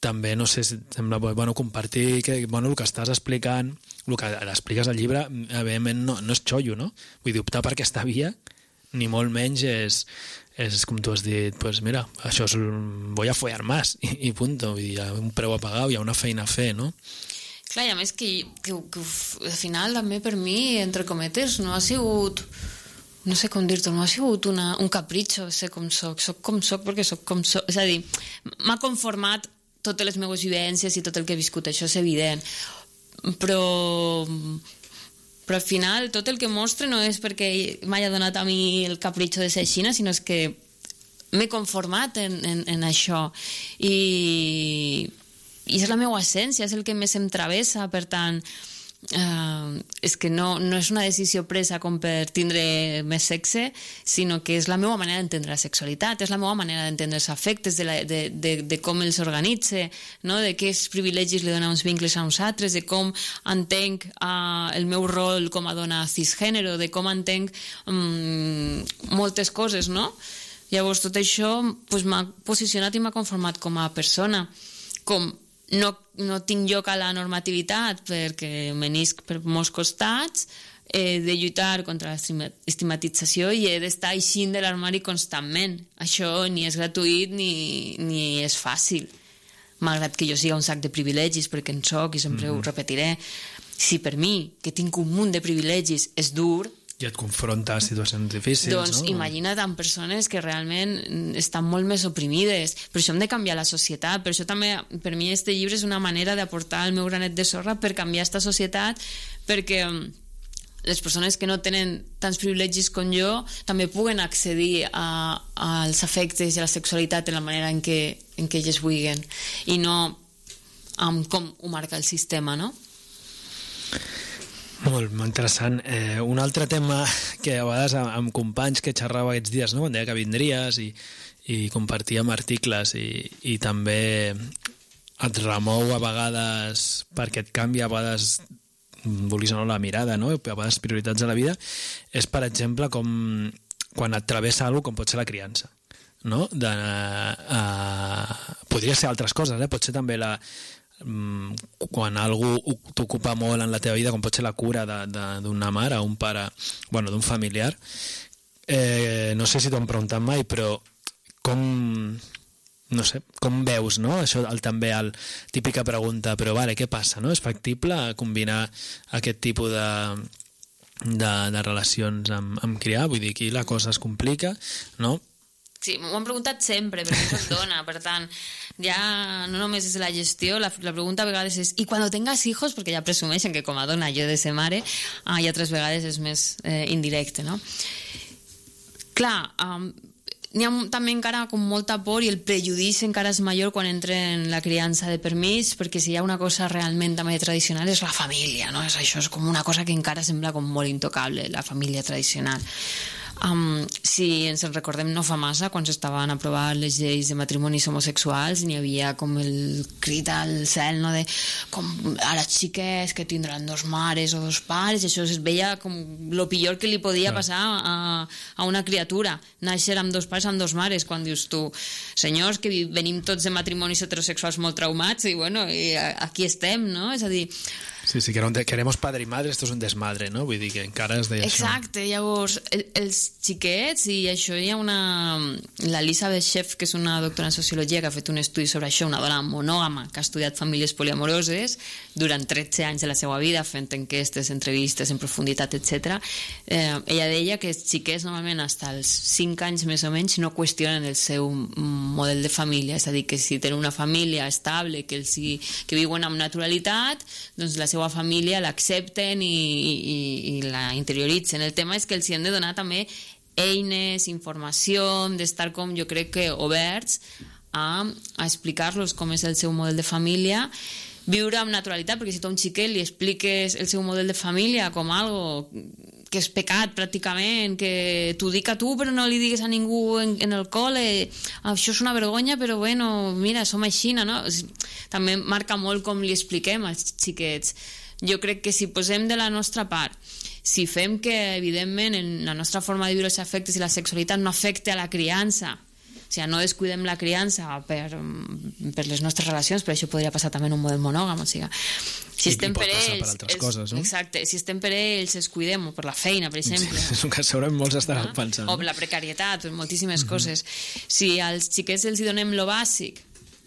també, no sé, sembla bueno, compartir que, bueno, el que estàs explicant, el que expliques al llibre, evidentment no, no és xollo, no? Vull dir, optar per aquesta via, ni molt menys és, és com tu has dit, pues mira, això és, voy a follar más, i, i punto, vull dir, hi ha un preu a pagar, hi ha una feina a fer, no? Clar, i a més que, que, que al final també per mi, entre cometes, no ha sigut... no sé com dir-t'ho, no ha sigut una, un capritxo ser com soc, soc com soc perquè soc com soc, és a dir, m'ha conformat totes les meves vivències i tot el que he viscut, això és evident, però però al final tot el que mostre no és perquè m'hagi donat a mi el capritxo de ser així, sinó és que m'he conformat en, en, en això i, i és la meva essència, és el que més em travessa, per tant Uh, és que no, no és una decisió presa com per tindre més sexe, sinó que és la meva manera d'entendre la sexualitat, és la meva manera d'entendre els afectes, de, la, de, de, de com els organitza, no? De quins privilegis li dona uns vincles a uns altres, de com entenc uh, el meu rol com a dona cisgènere, de com entenc um, moltes coses, no? Llavors tot això pues, m'ha posicionat i m'ha conformat com a persona, com no, no tinc lloc a la normativitat perquè menisc per molts costats, he de lluitar contra l'estigmatització i he d'estar eixint de l'armari constantment. Això ni és gratuït ni, ni és fàcil, malgrat que jo siga un sac de privilegis, perquè en soc i sempre mm-hmm. ho repetiré. Si per mi, que tinc un munt de privilegis, és dur, i et confronta a situacions difícils, doncs, no? Imagina't amb persones que realment estan molt més oprimides. Per això hem de canviar la societat. Per això també, per mi, este llibre és una manera d'aportar el meu granet de sorra per canviar aquesta societat, perquè les persones que no tenen tants privilegis com jo també puguen accedir a, als afectes i a la sexualitat de la manera en què, en què elles vulguin i no amb com ho marca el sistema, no? Molt, molt interessant. Eh, un altre tema que a vegades amb, amb companys que xerrava aquests dies, no? Quan deia que vindries i, i compartíem articles i, i també et remou a vegades perquè et canvia a vegades vulguis o no la mirada, no? A vegades prioritats a la vida, és per exemple com quan et travessa alguna com pot ser la criança, no? De, uh, podria ser altres coses, eh? Pot ser també la um, quan algú t'ocupa molt en la teva vida, com pot ser la cura d'una mare o un pare, bueno, d'un familiar. Eh, no sé si t'ho han preguntat mai, però com... no sé, com veus, no? Això el, també el típica pregunta, però vale, què passa, no? És factible combinar aquest tipus de, de, de relacions amb, amb criar? Vull dir, aquí la cosa es complica, no? Sí, m'ho han preguntat sempre, perquè soc dona, per tant, ja no només és la gestió, la, la pregunta a vegades és i quan tengas hijos, perquè ja presumeixen que com a dona jo he de ser mare, ah, i altres vegades és més eh, indirecte, no? Clar, um, n'hi ha també encara com molta por i el prejudici encara és major quan entra en la criança de permís, perquè si hi ha una cosa realment també tradicional és la família, no? És, això és com una cosa que encara sembla com molt intocable, la família tradicional. Um, si ens en recordem no fa massa, quan s'estaven aprovant les lleis de matrimonis homosexuals, n'hi havia com el crit al cel, no? De com ara xiques que tindran dos mares o dos pares, això es veia com lo pitjor que li podia passar a, a una criatura, néixer amb dos pares, amb dos mares, quan dius tu, senyors, que venim tots de matrimonis heterosexuals molt traumats i bueno, i aquí estem, no? És a dir, sí, sí, que queremos padre y madre, esto es un desmadre, no? Vull dir que encara es deia això. Exacte, llavors, el, els xiquets, i això hi ha una... l'Elisabeth Sheff, que és una doctora en sociologia, que ha fet un estudi sobre això, una dona monògama, que ha estudiat famílies poliamoroses durant tretze anys de la seva vida, fent enquestes, entrevistes en profunditat, etcètera. Eh, ella deia que els xiquets, normalment, fins als cinc anys més o menys, no qüestionen el seu model de família, és a dir, que si tenen una família estable, que, els hi, que viuen amb naturalitat, doncs la seva família l'accepten i, i, i la interioritzen. El tema és que els hi hem de donar també eines, informació, d'estar com jo crec que oberts a, a explicar-los com és el seu model de família, viure amb naturalitat, perquè si tu a un xiquet li expliques el seu model de família com algo que és pecat pràcticament, que t'ho dic a tu però no li digues a ningú en, en el col·le, això és una vergonya però bueno, mira, som així, no? També marca molt com li expliquem als xiquets. Jo crec que si posem de la nostra part, si fem que evidentment en la nostra forma de viure els afectes i la sexualitat no afecte a la criança, o sigui, no descuidem la criança per, per les nostres relacions, però això podria passar també en un model monògam, o sigui, si I, estem i pot per passar ells, per altres els, coses, no? exacte, si estem per ells, els cuidem, o per la feina, per exemple. Sí, és un que segurament molts estaran Ah? pensant. O la precarietat, o moltíssimes uh-huh. coses. Si als xiquets els hi donem lo bàsic,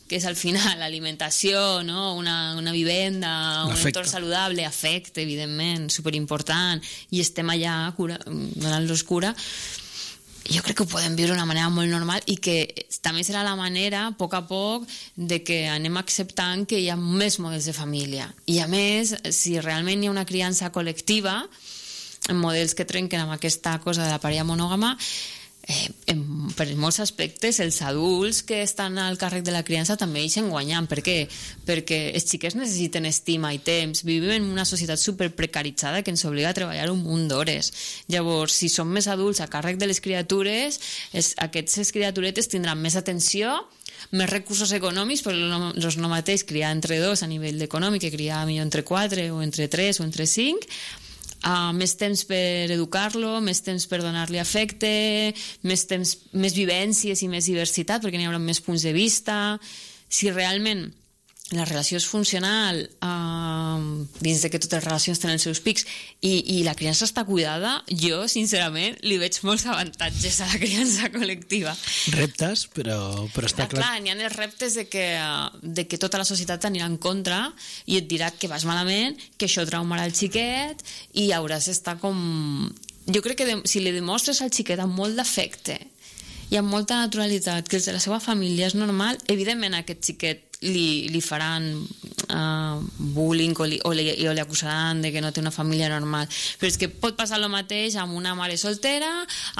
que és al final l'alimentació, no? una, una vivenda, un L'afecte. entorn saludable, afecte, evidentment, superimportant, i estem allà cura, donant-los cura, jo crec que ho podem viure d'una manera molt normal i que també serà la manera, a poc a poc, de que anem acceptant que hi ha més models de família. I a més, si realment hi ha una criança col·lectiva, en models que trenquen amb aquesta cosa de la parella monògama, eh, en, per molts aspectes els adults que estan al càrrec de la criança també ixen guanyant. Per què? Perquè els xiquets necessiten estima i temps, vivim en una societat superprecaritzada que ens obliga a treballar un munt d'hores. Llavors, si som més adults a càrrec de les criatures, els, aquestes criaturetes tindran més atenció, més recursos econòmics, però no, no és no mateix criar entre dos a nivell econòmic que criar millor entre quatre o entre tres o entre cinc. Uh, més temps per educar-lo, més temps per donar-li afecte, més temps, més vivències i més diversitat, perquè n'hi haurà més punts de vista. Si realment la relació és funcional, uh, dins de que totes les relacions tenen els seus pics, i, i la criança està cuidada, jo, sincerament, li veig molts avantatges a la criança col·lectiva. Reptes, però, però està Ah, clar... clar, n'hi ha els reptes de que, de que tota la societat t'anirà en contra i et dirà que vas malament, que això traumarà el xiquet i hauràs d'estar com... Jo crec que de, si li demostres al xiquet amb molt d'afecte i amb molta naturalitat que els de la seva família és normal, evidentment aquest xiquet li, li faran uh, bullying o li, o, li, o li acusaran de que no té una família normal. Però és que pot passar el mateix amb una mare soltera,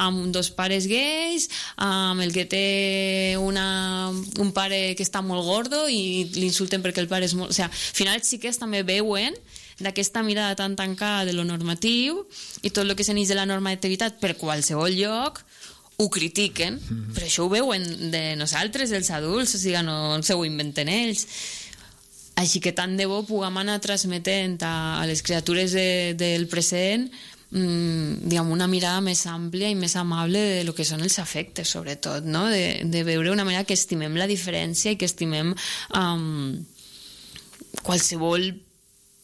amb dos pares gais, amb el que té una, un pare que està molt gordo i l'insulten perquè el pare és molt... O sigui, al final els xiquets també veuen d'aquesta mirada tan tancada de lo normatiu i tot el que s'enix de la normativitat per qualsevol lloc ho critiquen, mm-hmm. però això ho veuen de nosaltres, dels adults, o sigui, no se ho inventen ells. Així que tant de bo puguem anar transmetent a, a les criatures de, del present mmm, diguem, una mirada més àmplia i més amable de lo que són els afectes, sobretot, no? de, de veure una manera que estimem la diferència i que estimem um, qualsevol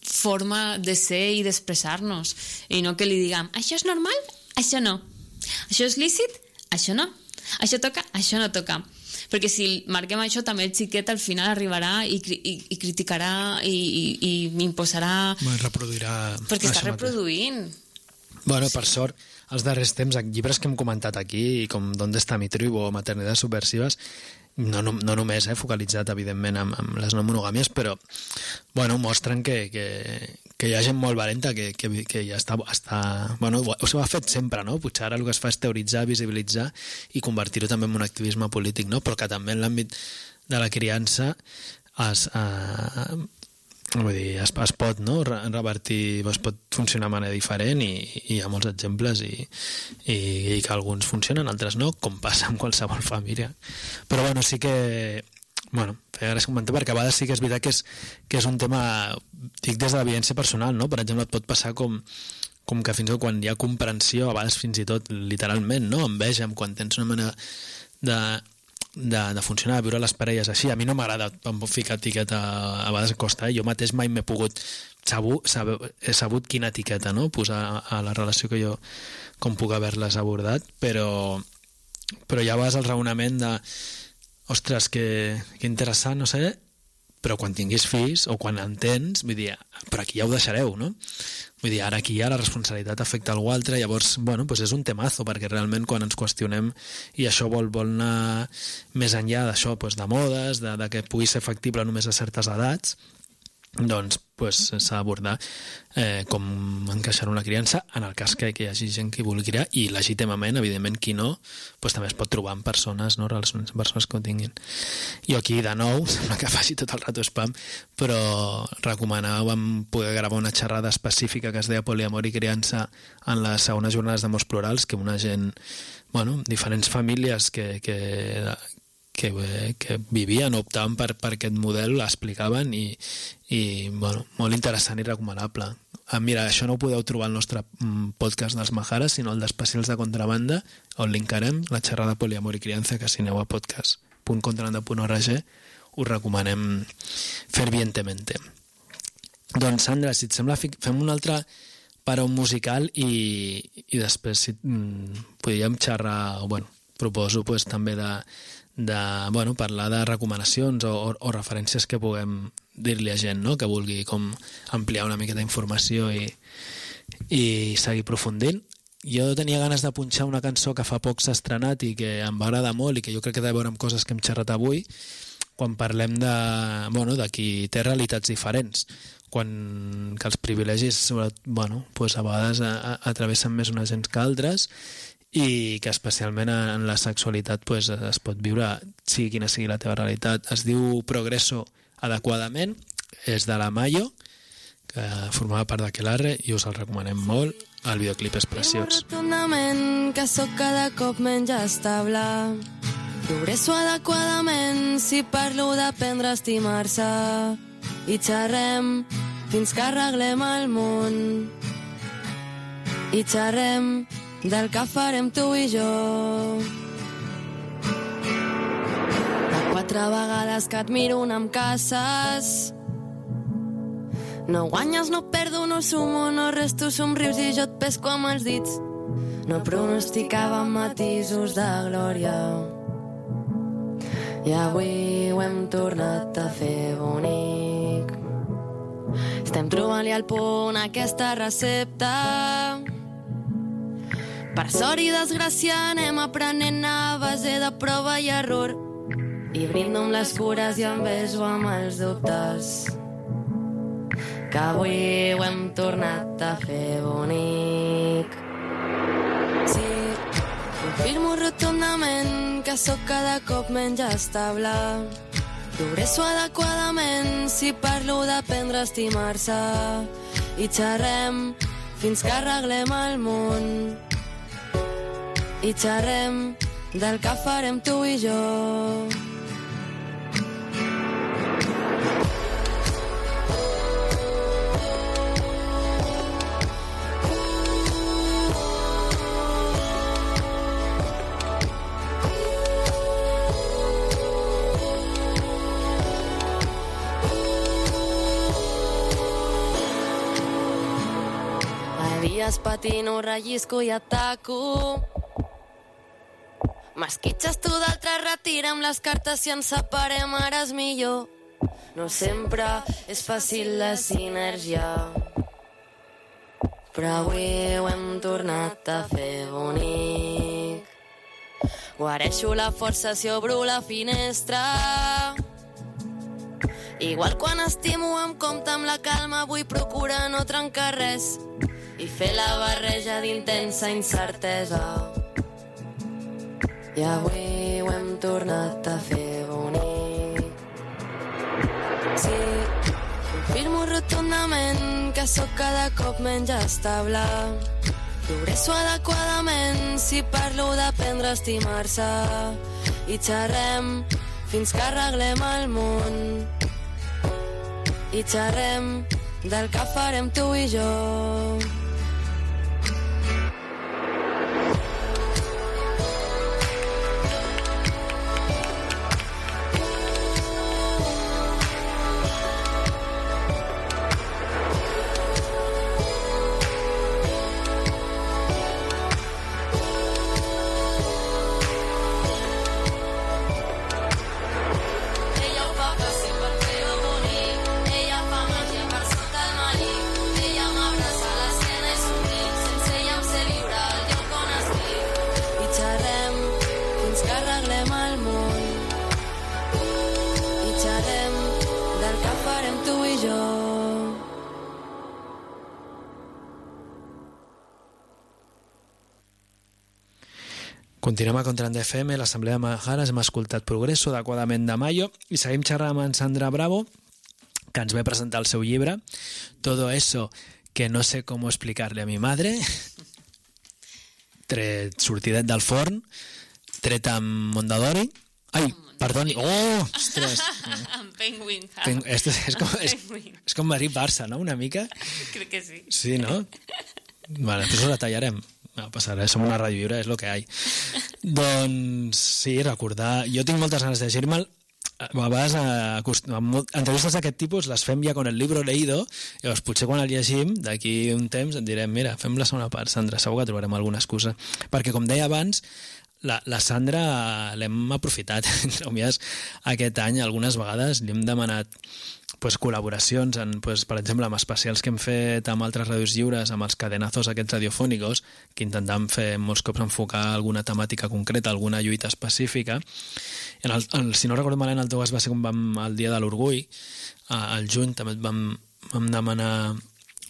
forma de ser i d'expressar-nos, i no que li diguem això és normal, això no, això és lícit, això no, això toca, això no toca, perquè si marquem això també el xiquet al final arribarà i, i, i criticarà i, i, i imposarà, bueno, reproduirà perquè està reproduint mateix. Bueno, per sort els darrers temps, llibres que hem comentat aquí com D'Onde està mi tribu o Maternidades subversives, no, no, no només eh, focalitzat evidentment amb, amb les no monogàmies, però bueno, mostren que, que, que hi ha gent molt valenta que, que, que ja està, està bueno, ho, ho ha fet sempre, no? Potser ara el que es fa és teoritzar, visibilitzar i convertir-ho també en un activisme polític, no? Però que també en l'àmbit de la criança es, eh, vull dir, es, es pot, no? revertir, es pot funcionar de manera diferent i, i hi ha molts exemples i, i, i que alguns funcionen, altres no, com passa amb qualsevol família. Però bueno, sí que bueno, feia gràcia comentar, perquè a vegades sí que és veritat que és, que és un tema, dic des de la vivència personal, no? Per exemple, et pot passar com, com que fins i tot quan hi ha comprensió, a vegades fins i tot literalment, no? Enveja, quan tens una manera de, de, de funcionar, de viure les parelles així. A mi no m'agrada ficar etiqueta, a vegades costa, eh? Jo mateix mai m'he pogut saber, saber, he sabut quina etiqueta, no? Posar a la relació que jo com puc haver-les abordat, però, però hi ha a vegades el raonament de ostres, que, que interessant, no sé, però quan tinguis fills o quan en tens, vull dir, però aquí ja ho deixareu, no? Vull dir, ara aquí ja la responsabilitat afecta algú altre, llavors, bueno, doncs és un temazo, perquè realment quan ens qüestionem i això vol, vol anar més enllà d'això, doncs de modes, de, de que pugui ser factible només a certes edats, doncs pues, s'ha d'abordar eh, com encaixar una criança en el cas que, que hi hagi gent que vulgui criar i legítimament, evidentment, qui no pues, també es pot trobar amb persones, no? Relacions amb persones que ho tinguin. Jo aquí, de nou, sembla que faci tot el rato spam, però recomanàvem poder gravar una xerrada específica que es deia Poliamor i criança en les segones jornades d'amors plurals, que una gent, bueno, diferents famílies que, que Que, que vivien, optaven per, per aquest model, l'explicaven i, i bueno, molt interessant i recomanable. Ah, mira, això no ho podeu trobar al nostre podcast dels Majares, sinó el d'Especials de Contrabanda, on linkarem la xerrada Poliamor i criança, que si aneu a podcast punt contrabanda punt org us recomanem fervientemente. Doncs Sandra, si et sembla, fem un altre paró musical i, i després si, mm, podríem xerrar, bueno, proposo pues, també de de bueno, parlar de recomanacions o, o, o referències que puguem dir-li a gent, no? Que vulgui com ampliar una miqueta d'informació i, i seguir aprofundint. Jo tenia ganes de punxar una cançó que fa poc s'ha estrenat i que em va agradar molt i que jo crec que té a veure amb coses que hem xerrat avui quan parlem de, bueno, de qui té realitats diferents, quan que els privilegis bueno, pues a vegades a, a, atravessen més unes gens que altres i que especialment en la sexualitat pues, es pot viure, sigui quina sigui la teva realitat. Es diu Progreso adequadament, és de la Mayo, que formava part d'Aquelarre i us el recomanem molt. El videoclip és preciós. Rotundament que sóc cada cop menys estable. Progreso adequadament si parlo d'aprendre a estimar-se i xerrem fins que arreglem el món. I xerrem del que farem tu i jo. De quatre vegades que et miro un em caces. No guanyes, no perdo, no sumo, no res, tu somrius i jo et pesco amb els dits. No pronosticava matisos de glòria i avui ho hem tornat a fer bonic. Estem trobant-li al punt aquesta recepta. Per sort i desgràcia anem aprenent a base de prova i error. i brindo amb les cures i em beso amb els dubtes, que avui ho hem tornat a fer bonic. Sí, confirmo rotundament que sóc cada cop menys estable. Progresso adequadament si parlo d'aprendre a estimar-se i xerrem fins que arreglem el món. I xerrem del que farem tu i jo. Dies patino, rellisco i ataco. M'esquitxes tu d'altre, retira'm les cartes, si ens separem ara és millor. No sempre és fàcil la sinergia, però avui ho hem tornat a fer bonic. Guareixo la força si obro la finestra. Igual quan estimo em compte amb la calma, vull procurar no trencar res i fer la barreja d'intensa incertesa. I avui ho hem tornat a fer bonic. Sí, confirmo rotundament que sóc cada cop menys estable. Progresso adequadament si parlo d'aprendre a estimar-se i xerrem fins que arreglem el món. I xerrem del que farem tu i jo. Continuem a Contrabanda F M, l'Assemblea de Majares, hem escoltat Progresso, adequadament de Mayo, i seguim xerrant amb en Sandra Bravo, que ens ve presentar el seu llibre, Todo eso que no sé cómo explicarle a mi madre, tret sortidet del forn, tret amb Mondadori. Ai, perdoni, oh, ostres. Amb Penguin. Pen és, és, com, és, és com Madrid-Barça, no?, una mica? Crec que sí. Sí, no? Vale, després ho detallarem. No passa res, som una ràdio lliure, és el que hi ha. Doncs sí, recordar... Jo tinc moltes ganes de llegir-me'l. A vegades, a, entrevistes d'aquest tipus les fem ja con el libro leído, i llavors potser quan el llegim, d'aquí un temps, et direm, mira, fem la segona part, Sandra, segur que trobarem alguna excusa. Perquè, com deia abans, la, la Sandra l'hem aprofitat, aquest any, algunes vegades li hem demanat pues, col·laboracions, en, pues, per exemple, amb especials que hem fet amb altres ràdios lliures, amb els cadenazos aquests radiofònicos, que intentam fer molts cops enfocar alguna temàtica concreta, alguna lluita específica. En el, el, si no recordo malament, el teu cas va ser com vam, el dia de l'orgull, al juny també et vam, vam demanar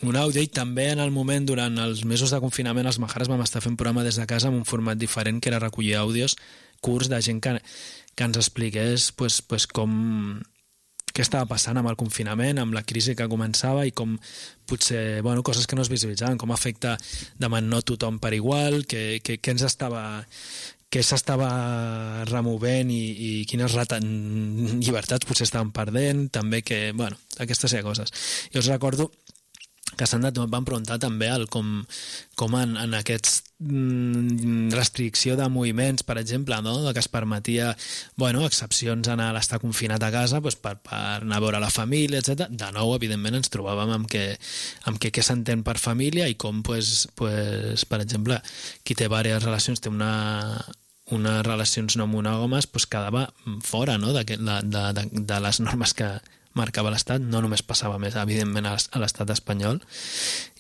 un àudio, i també en el moment, durant els mesos de confinament, els Majares vam estar fent programa des de casa amb un format diferent, que era recollir àudios curts de gent que, que ens expliqués pues, pues, com... què estava passant amb el confinament, amb la crisi que començava, i com potser, bueno, coses que no es visibilitzaven, com afecta demà no tothom per igual, que, que, que ens estava... què s'estava removent i, i quines llibertats potser estaven perdent, també que, bueno, aquestes coses. Jo us recordo que s'han de, van preguntar també el com, com en, en aquests mm, restricció de moviments, per exemple, no? Que es permetia, bueno, excepcions a l'estar confinat a casa pues, per, per anar a veure la família, etcètera. De nou, evidentment, ens trobàvem amb què, amb què, què s'entén per família i com, pues, pues, per exemple, qui té diverses relacions té una unes relacions no monògames, pues, quedava fora, no?, de, de, de, de les normes que marcava l'Estat, no només passava més, evidentment, a l'es- a l'Estat espanyol.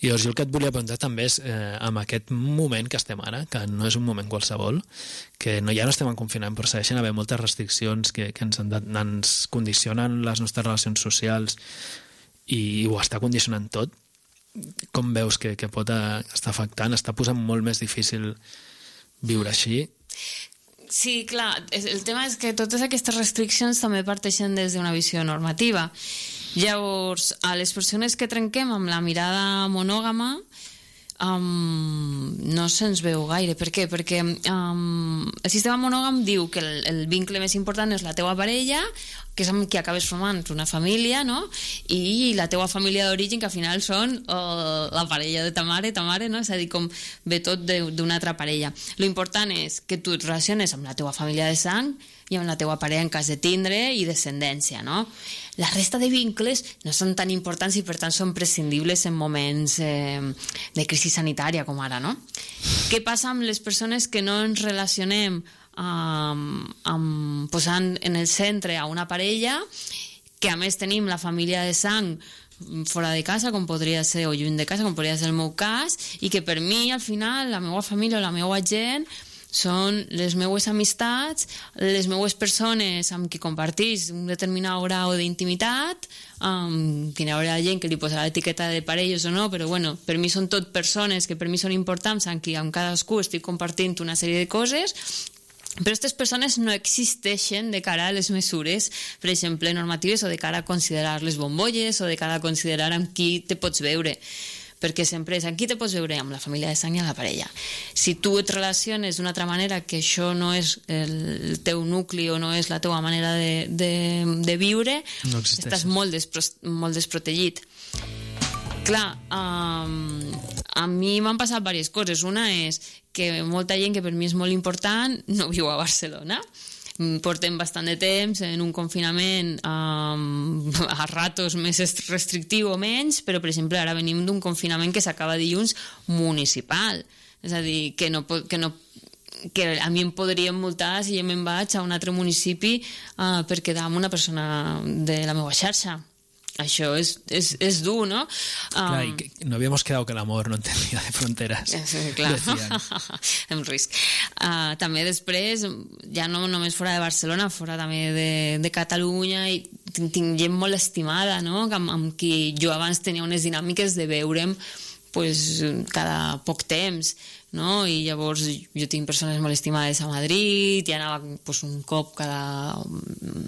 I llavors jo el que et volia preguntar també és, eh, amb aquest moment que estem ara, que no és un moment qualsevol, que no, ja no estem en confinament, però segueixen haver moltes restriccions que, que ens, han de, ens condicionen les nostres relacions socials i ho està condicionant tot. Com veus que, que pot eh, estar afectant? Està posant molt més difícil viure així? Sí, clar, és- el tema és que totes aquestes restriccions també parteixen des d'una visió normativa. Llavors, a les persones que trenquem amb la mirada monògama um, no se'ns veu gaire. Per què? Perquè um, el sistema monògam diu que el, el vincle més important és la teua parella, que és amb qui acabes formant una família, no? I la teua família d'origen, que al final són uh, la parella de ta mare, ta mare, no? És a dir, com ve tot de- d'una altra parella. Lo important és que tu et relaciones amb la teua família de sang i amb la teua parella en cas de tindre i descendència, no? La resta de vincles no són tan importants i per tant són prescindibles en moments eh, de crisi sanitària com ara, no? Què passa amb les persones que no ens relacionem amb, amb, posant en el centre a una parella, que a més tenim la família de sang fora de casa, com podria ser, o lluny de casa, com podria ser el meu cas, i que per mi, al final, la meva família o la meva gent són les meues amistats, les meues persones amb qui compartís un determinat grau d'intimitat, um, que hi haurà gent que li posarà l'etiqueta de parelles o no, però bueno, per mi són tot persones que per mi són importants, amb qui amb cadascú estic compartint una sèrie de coses, però aquestes persones no existeixen de cara a les mesures, per exemple, normatives, o de cara a considerar les bombolles, o de cara a considerar amb qui te pots veure, perquè sempre és amb qui te pots veure, amb la família de sang i amb la parella. Si tu et relaciones d'una altra manera, que això no és el teu nucli o no és la teua manera de, de, de viure, No existeix. estàs molt, despro molt desprotegit. Clar, um, a mi m'han passat diverses coses. Una és que molta gent que per mi és molt important no viu a Barcelona. Mm, Portem bastant de temps en un confinament um, a ratos més est- restrictiu o menys, però per exemple ara venim d'un confinament que s'acaba dilluns municipal. És a dir, que no, pot- que no que a mi em podrien multar si jo me'n vaig a un altre municipi uh, per quedar amb una persona de la meva xarxa. Això és, és, és dur, no? Clar, Um, i que no habíamos quedado que el amor no entendía de fronteras. Sí, clar. Decían. Amb risc. Uh, també després, ja no només fora de Barcelona, fora també de, de Catalunya, i tinc, tinc gent molt estimada, no? Amb, amb qui jo abans tenia unes dinàmiques de veure'm pues, cada poc temps, no? I llavors jo tinc persones molt estimades a Madrid, i anava pues, un cop cada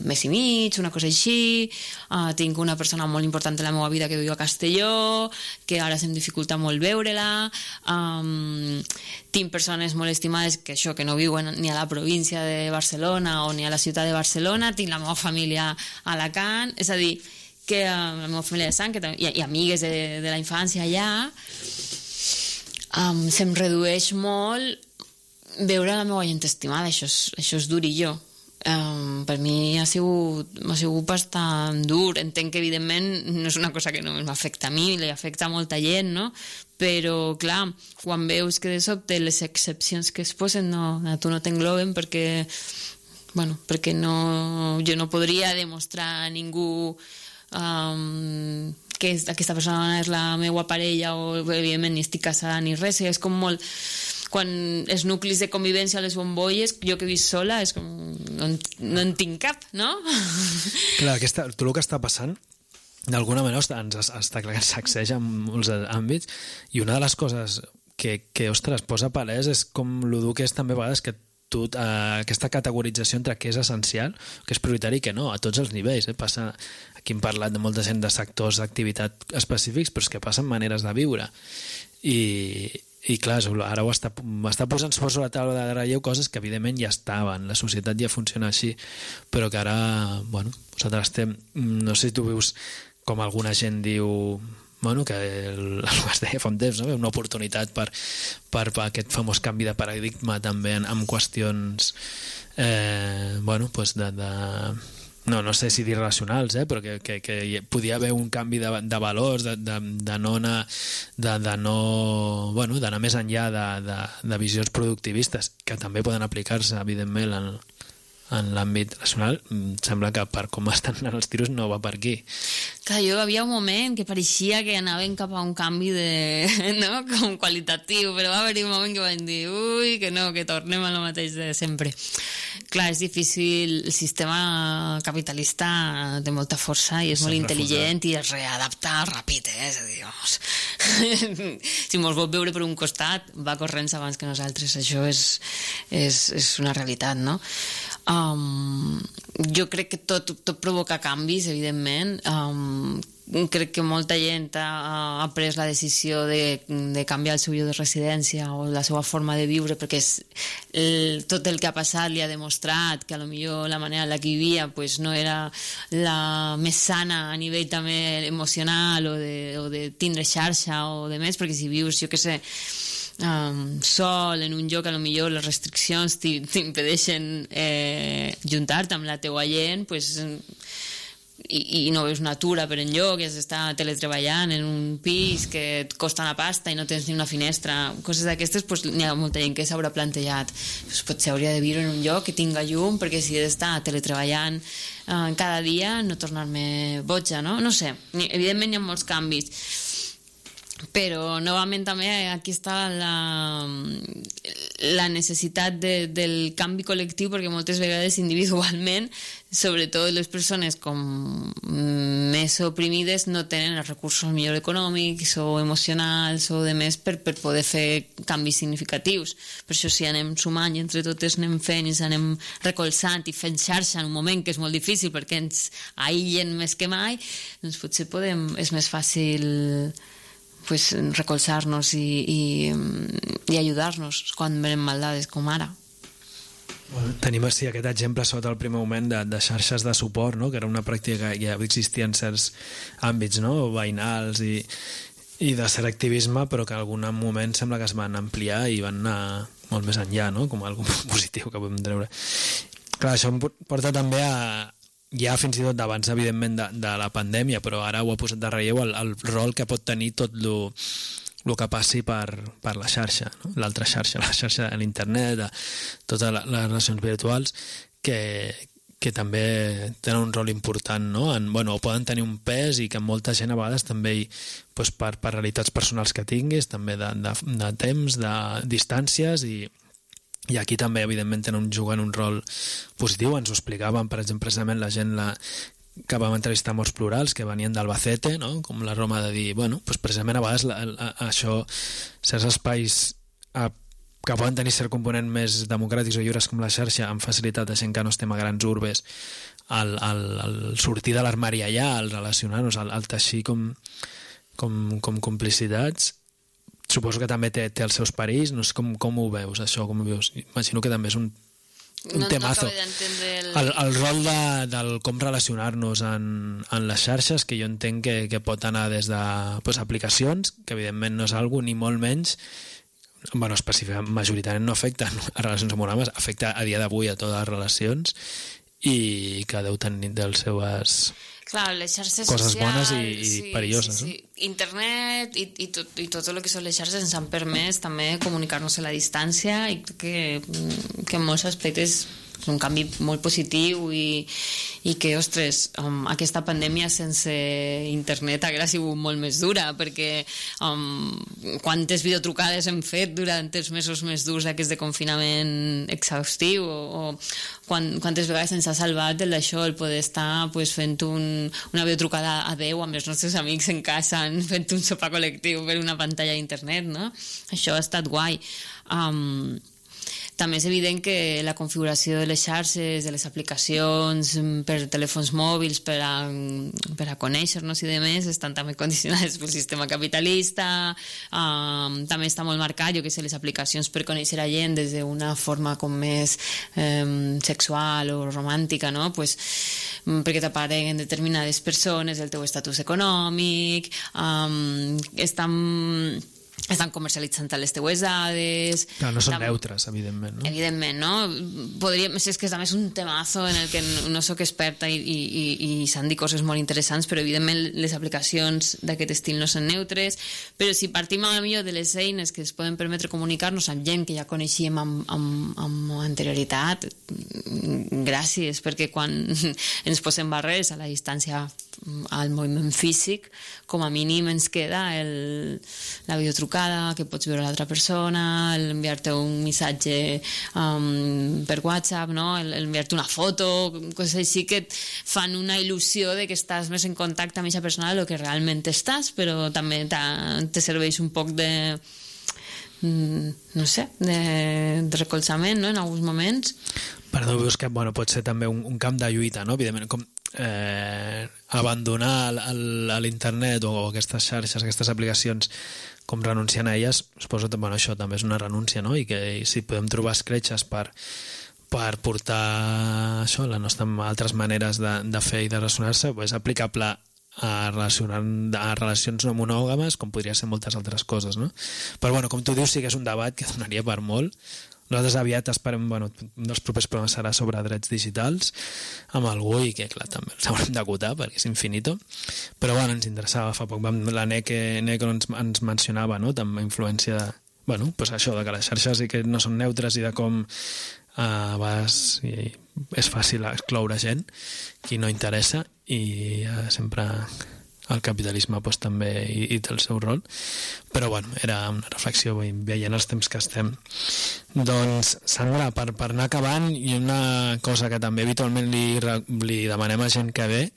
mes i mig, una cosa així. Uh, tinc una persona molt important en la meva vida que viu a Castelló, que ara se'm dificulta molt veure-la. Um, tinc persones molt estimades que això, que no viuen ni a la província de Barcelona o ni a la ciutat de Barcelona. Tinc la meva família a Alacant, és a dir, que uh, la meva família de sang que, també- i, i amigues de, de la infància allà. Um, se'm redueix molt veure la meva gent estimada, això és, això és durillo. Um, per mi ha sigut, ha sigut bastant dur. Entenc que evidentment no és una cosa que només m'afecta a mi, li afecta a molta gent, no? Però clar, quan veus que de sobte les excepcions que es posen no, a tu no t'engloben perquè, bueno, perquè no, jo no podria demostrar a ningú um, que és, aquesta persona és la meva parella, o evidentment ni estic casada ni res. És com molt, quan els nuclis de convivència a les bombolles, jo que he vist sola, és com no en, no en tinc cap, no? Clar, aquesta, tot el que està passant d'alguna manera està, ens, està clar que ens sacseja en molts àmbits, i una de les coses que, que ostres, posa palès és com lo dur que és també a vegades que tu, eh, aquesta categorització entre què és essencial, que és prioritari i què no, a tots els nivells. Eh? Passa, aquí hem parlat de molta gent de sectors d'activitat específics, però és que passen maneres de viure. I, i clar, ara ho està, està posant sobre la taula de relleu coses que evidentment ja estaven, la societat ja funciona així, però que ara, bueno, nosaltres estem, no sé si tu veus com alguna gent diu, bueno, que el, el que es deia fa un temps, no? Una oportunitat per, per, per aquest famós canvi de paradigma també en, en qüestions eh, bueno, pues de, de no, no sé si dir relacionals, eh, però que, que, que podia haver un canvi de, de valors, de, de, de no anar, de, de no, bueno, d'anar més enllà de, de, de visions productivistes, que també poden aplicar-se, evidentment, en, en l'àmbit nacional, em sembla que per com estan anant els tiros no va per aquí. Clar, jo havia un moment que pareixia que anaven cap a un canvi de, no? Com qualitatiu, però va haver-hi un moment que van dir ui, que no, que tornem a lo mateix de sempre. Clar, és difícil, el sistema capitalista té molta força i és molt intel·ligent i es readapta ràpid, eh? És a dir, vamos, si mos vol veure per un costat va corrents abans que nosaltres, això és, és, és una realitat, no? Um, jo crec que tot, tot provoca canvis, evidentment. Um, crec que molta gent ha, ha pres la decisió de, de canviar el seu lloc de residència o la seva forma de viure, perquè és, el, tot el que ha passat li ha demostrat que a lo millor la manera en la que vivia pues, no era la més sana a nivell també emocional o de, o de tindre xarxa o de més, perquè si vius, jo què sé, Um, sol en un lloc, a lo millor les restriccions t'impedeixen eh, juntar-te amb la teua gent, pues, i, i no veus natura per enlloc, i has d'estar teletreballant en un pis que et costa una pasta i no tens ni una finestra, coses d'aquestes, pues, n'hi ha molta gent que s'haurà plantejat pues, potser hauria de viure en un lloc que tinga llum, perquè si he d'estar teletreballant eh, cada dia no tornar-me boja, no? No sé, evidentment hi ha molts canvis, però novament també aquí està la, la necessitat de, del canvi col·lectiu, perquè moltes vegades individualment, sobretot les persones com més oprimides no tenen els recursos millor econòmics o emocionals o de més per, per poder fer canvis significatius. Per això si anem sumant i entre totes anem fent i ens anem recolzant i fent xarxa en un moment que és molt difícil perquè ens aïllen més que mai, doncs potser podem, és més fàcil pues, recolzar-nos i, i, i ajudar-nos quan venem maldades com ara. Tenim així aquest exemple sota el primer moment de, de xarxes de suport, no? Que era una pràctica que ja existia en certs àmbits, no? Veïnals i, i de cert activisme, però que en algun moment sembla que es van ampliar i van anar molt més enllà, no? Com algo positiu que podem treure. Clar, això em porta també a ja fins i tot d'abans, evidentment, de, de la pandèmia, però ara ho ha posat de relleu el, el rol que pot tenir tot lo, lo que passi per, per la xarxa, no? L'altra xarxa, la xarxa de l'internet, de totes les relacions virtuals, que, que també tenen un rol important, no? En, bueno, poden tenir un pes i que molta gent a vegades també, doncs, per, per realitats personals que tinguis, també de, de, de temps, de distàncies i I aquí també, evidentment, tenen, juguen un rol positiu. Ens ho explicaven, per exemple, precisament la gent la, que vam entrevistar morts plurals, que venien d'Albacete, no? Com la Roma de dir, bueno, doncs precisament a vegades la, la, això, certs espais a, que poden tenir cert component més democràtics o lliures com la xarxa, amb facilitat de gent que no estem a grans urbes, el, el, el sortir de l'armari allà, el relacionar-nos, el, el teixir com, com, com complicitats. Suposo que també té, té els seus perills, no sé com, com ho veus, això, com ho veus? Imagino que també és un, un no, temazo. No el... El, el rol de, del com relacionar-nos en, en les xarxes, que jo entenc que, que pot anar des de pues, aplicacions, que evidentment no és algo ni molt menys, bueno, específicament, majoritàriament no afecta a relacions amoroses, afecta a dia d'avui a totes les relacions i que deu tenir dels seues... Clar, les xarxes coses socials, bones i, i sí, perilloses. Sí, sí. No? Internet i, i, tot, i tot el que són les xarxes ens han permès també comunicar-nos a la distància i crec que, que en molts aspectes és un canvi molt positiu i, i que, ostres, um, aquesta pandèmia sense internet haguera sigut molt més dura, perquè um, quantes videotrucades hem fet durant els mesos més durs aquests de confinament exhaustiu o, o quan, quantes vegades ens ha salvat el d'això, el poder estar pues, fent un, una videotrucada a deu amb els nostres amics en casa, fent un sopar col·lectiu per una pantalla d'internet, no? Això ha estat guai. Um, També és evident que la configuració de les xarxes, de les aplicacions per telèfons mòbils, per a, per a conèixer-nos i demés, estan també condicionades pel sistema capitalista. Um, també està molt marcat, jo que sé, les aplicacions per conèixer a gent des d'una forma com més um, sexual o romàntica, no? Pues, perquè t'apareguen determinades persones, el teu estatus econòmic, um, estan... estan comercialitzant les teues dades... Clar, no són Tam- neutres, evidentment, no? Evidentment, no? Podríem, és que també és un temazo en el que no sóc experta i, i, i, i s'han dit coses molt interessants, però evidentment les aplicacions d'aquest estil no són neutres, però si partim a millor de les eines que ens poden permetre comunicar-nos amb gent que ja coneixíem amb, amb, amb anterioritat, gràcies, perquè quan ens posem barreres a la distància al moviment físic, com a mínim ens queda el, la videotrucada, que pots veure l'altra persona, enviar-te un missatge um, per WhatsApp, no? el, el enviar-te una foto, coses així que et fan una il·lusió de que estàs més en contacte amb aquesta persona del que realment estàs, però també te serveix un poc de no sé, de, de recolzament, no?, en alguns moments. Perdó, veus que bueno, pot ser també un, un camp de lluita, no? Evidentment, com eh, abandonar l'internet o aquestes xarxes, aquestes aplicacions, com renunciant a elles, suposo que bueno, això també és una renúncia, no? I que i si podem trobar escletxes per, per portar això, la nostra, altres maneres de, de fer i de relacionar-se, és aplicable a, relacionar, a relacions no monògames, com podria ser moltes altres coses, no? Però bueno, com tu dius, sí que és un debat que donaria per molt. Nosaltres aviat esperem, bueno, un dels propers programes serà sobre drets digitals amb algú i que, clar, també els haurem d'acotar perquè és infinito, però bueno, ens interessava fa poc, la N E C ens, ens mencionava, no?, també influència de, bueno, pues això, de que les xarxes i que no són neutres i de com a vegades és fàcil excloure gent qui no interessa i uh, sempre el capitalisme pues, també hi, hi té el seu rol, però bueno, era una reflexió veient els temps que estem. Doncs Sandra, per, per anar acabant, i una cosa que també habitualment li, li demanem a gent que ve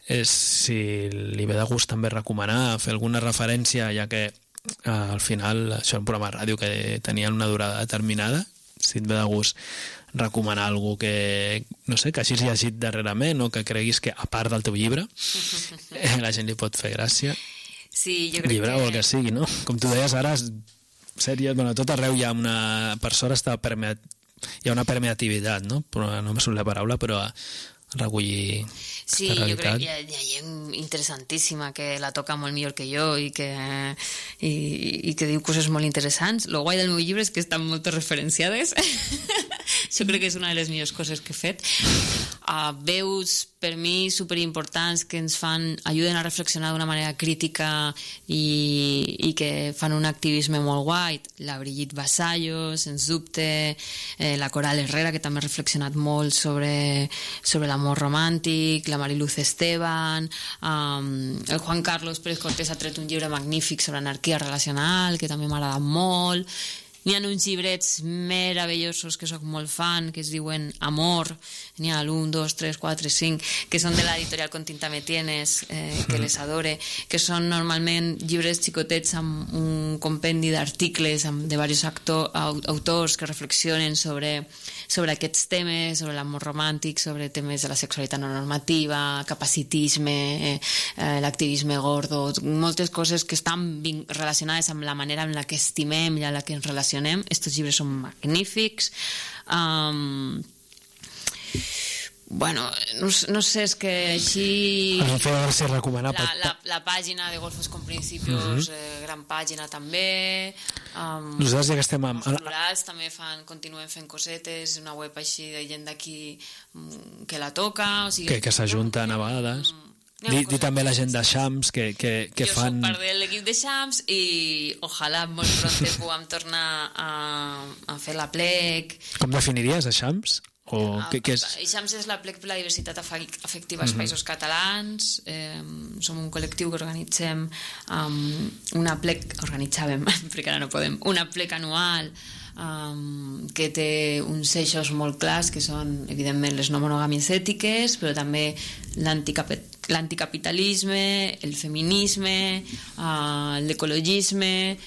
és si li ve de gust també recomanar, fer alguna referència, ja que eh, al final això és un programa de ràdio que tenia una durada determinada, si et ve de gust recomanar algú que, no sé, que hagis llegit darrerament o que creguis que, a part del teu llibre, la gent li pot fer gràcia. Sí, jo crec llibre que... o el que sigui, no? Com tu deies ara, sèries, bueno, tot arreu hi ha una... Per sort està permeat, hi ha una permeativitat, no? Però no me surt la paraula, però a recollir sí, aquesta realitat. Jo crec que hi ha, hi ha gent interessantíssima que la toca molt millor que jo i que, i, i que diu coses molt interessants. Lo guai del meu llibre és que estan moltes referenciades. Jo crec que és una de les millors coses que he fet. Uh, veus, per mi, superimportants que ens fan, ajuden a reflexionar d'una manera crítica i, i que fan un activisme molt guai. La Brigitte Vasallo, sens dubte, eh, la Coral Herrera, que també ha reflexionat molt sobre, sobre l'amor romàntic, la Mariluz Esteban, um, el Juan Carlos Pérez Cortés ha tret un llibre magnífic sobre anarquia relacional, que també m'ha agradat molt. N'hi ha uns llibrets meravellosos que sóc molt fan, que es diuen Amor, n'hi ha l'un, dos, tres, quatre, cinc, que són de l'editorial Con tinta me tienes, eh, que les adore, que són normalment llibres xicotets amb un compendi d'articles de diversos actor, autors que reflexionen sobre, sobre aquests temes, sobre l'amor romàntic, sobre temes de la sexualitat no normativa, capacitisme, eh, eh, l'activisme gordo, moltes coses que estan relacionades amb la manera en la que estimem i en la que ens relacionem. Estos llibres són magnífics. Um, bueno, no, no sé, és que així... A mi feia gràcia recomanar... La, la, la pàgina de Golfos con Principios, uh -huh. eh, gran pàgina també. Um, Nosaltres ja que estem amb... Els plurals també fan, continuen fent cosetes, una web així de gent d'aquí que la toca, o sigui... Que, que s'ajunten a vegades... Di, di també la gent de Xams que, que, que jo fan... Jo soc part de l'equip de Xams i ojalà molt pronte puguem tornar a, a fer la plec. Com definiries a Xams? O Ah, què, què és? Xams és la plec per la diversitat afectiva als Països Catalans. Eh, som un col·lectiu que organitzem um, una plec, organitzàvem, perquè ara no podem, una plec anual um, que té uns eixos molt clars, que són, evidentment, les no monogàmies ètiques, però també l'anticapitalisme, el feminisme, uh, l'ecologisme,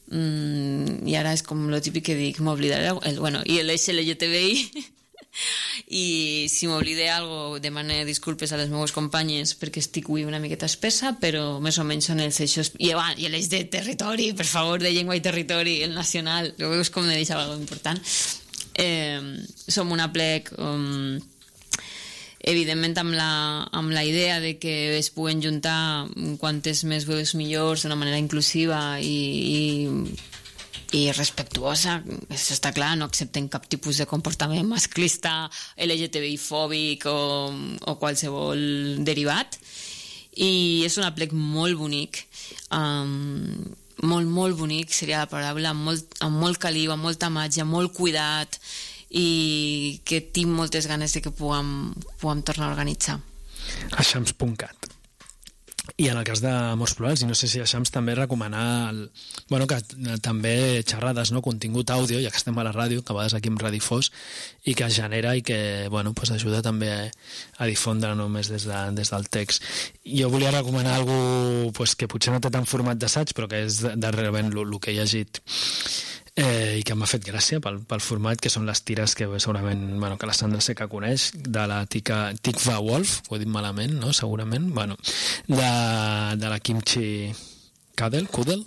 um, i ara és com lo típic que dic, m'oblidaré, el, bueno, i l'L G T B I, i si m'oblide algo demane disculpes a les meves companyes perquè estic avui una miqueta espessa, però més o menys són els eixos, i, i l'eix de territori, per favor, de llengua i territori, el nacional, ho veus com me deixava algo important. Eh, som una plec um, evidentment amb la, amb la idea de que es puguen juntar quantes més veus millors d'una manera inclusiva i, i i respectuosa, això està clar, no accepten cap tipus de comportament masclista, L G T B I-fòbic o, o qualsevol derivat, i és un aplec molt bonic, um, molt, molt bonic seria la paraula, amb molt, amb molt caliu, amb molta màgia, molt cuidat, i que tinc moltes ganes de que puguem, puguem tornar a organitzar. Aixams punt cat. I en el cas d'Amors Plurals, i no sé si Aixams també recomanar el, bueno, que també xerrades, no? Contingut àudio, ja que estem a la ràdio, que a vegades aquí amb Radifós, i que es genera i que bueno, pues ajuda també a, a difondre només des, de, des del text. Jo volia recomanar algú pues, que potser no té tant format d'assaig, però que és darrerament el que he llegit eh, i que m'ha fet gràcia pel, pel format, que són les tires que segurament, bueno, que la Sandra sé que coneix, de la tica, Tikva Wolf, ho he dit malament, no? Segurament, bueno, de, de la Kimchi Kadel, Kudel,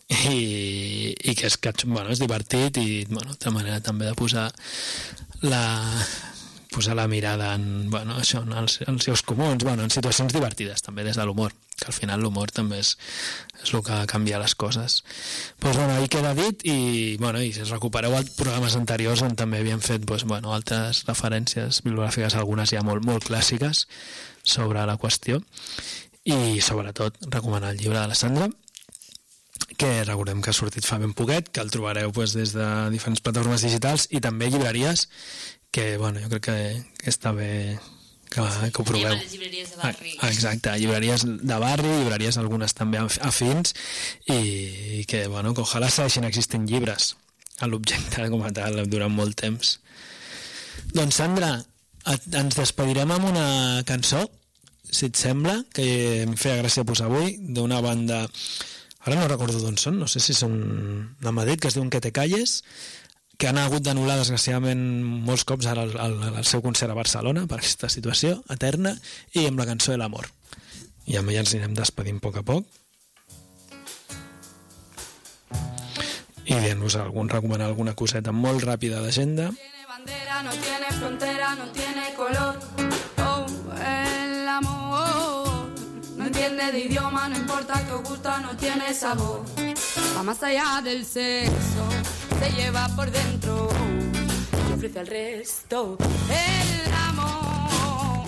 i, i que és, que, bueno, és divertit i, bueno, de manera també de posar la posar la mirada en, bueno, això, en els, en els seus comuns, bueno, en situacions divertides també des de l'humor, que al final l'humor també és, és el que canvia les coses. Pues, bueno, ahí queda dit i, bueno, i si es recupereu els programes anteriors on també havíem fet pues, bueno, altres referències bibliogràfiques, algunes ja molt, molt clàssiques sobre la qüestió, i sobretot recomanar el llibre de la Sandra, que recordem que ha sortit fa ben poquet, que el trobareu pues, des de diferents plataformes digitals i també llibreries, que bueno, jo crec que, que està bé que, que ho proveu. Anem a les llibreries de barri. Ah, exacte, llibreries de barri, llibreries algunes també afins, i, i que, bueno, que ojalà segueixin existint llibres a l'objecte com a tal durant molt temps. Doncs Sandra, et, ens despedirem amb una cançó, si et sembla, que em feia gràcia posar avui, d'una banda, ara no recordo d'on són, no sé si són de Madrid, que es diuen Que te calles, que han hagut d'anul·lar desgraciadament molts cops ara el, el, el seu concert a Barcelona per aquesta situació eterna, i amb la cançó de l'amor. I amb ella ens anirem despedint a poc a poc i dient-vos algun, recomanar alguna coseta molt ràpida d'agenda. No tiene bandera, no tiene frontera, no tiene color. Oh, el amor no entiende de idioma, no importa que os gusta, no tiene sabor. Va más allá del sexo, se lleva por dentro y ofrece al resto. El amor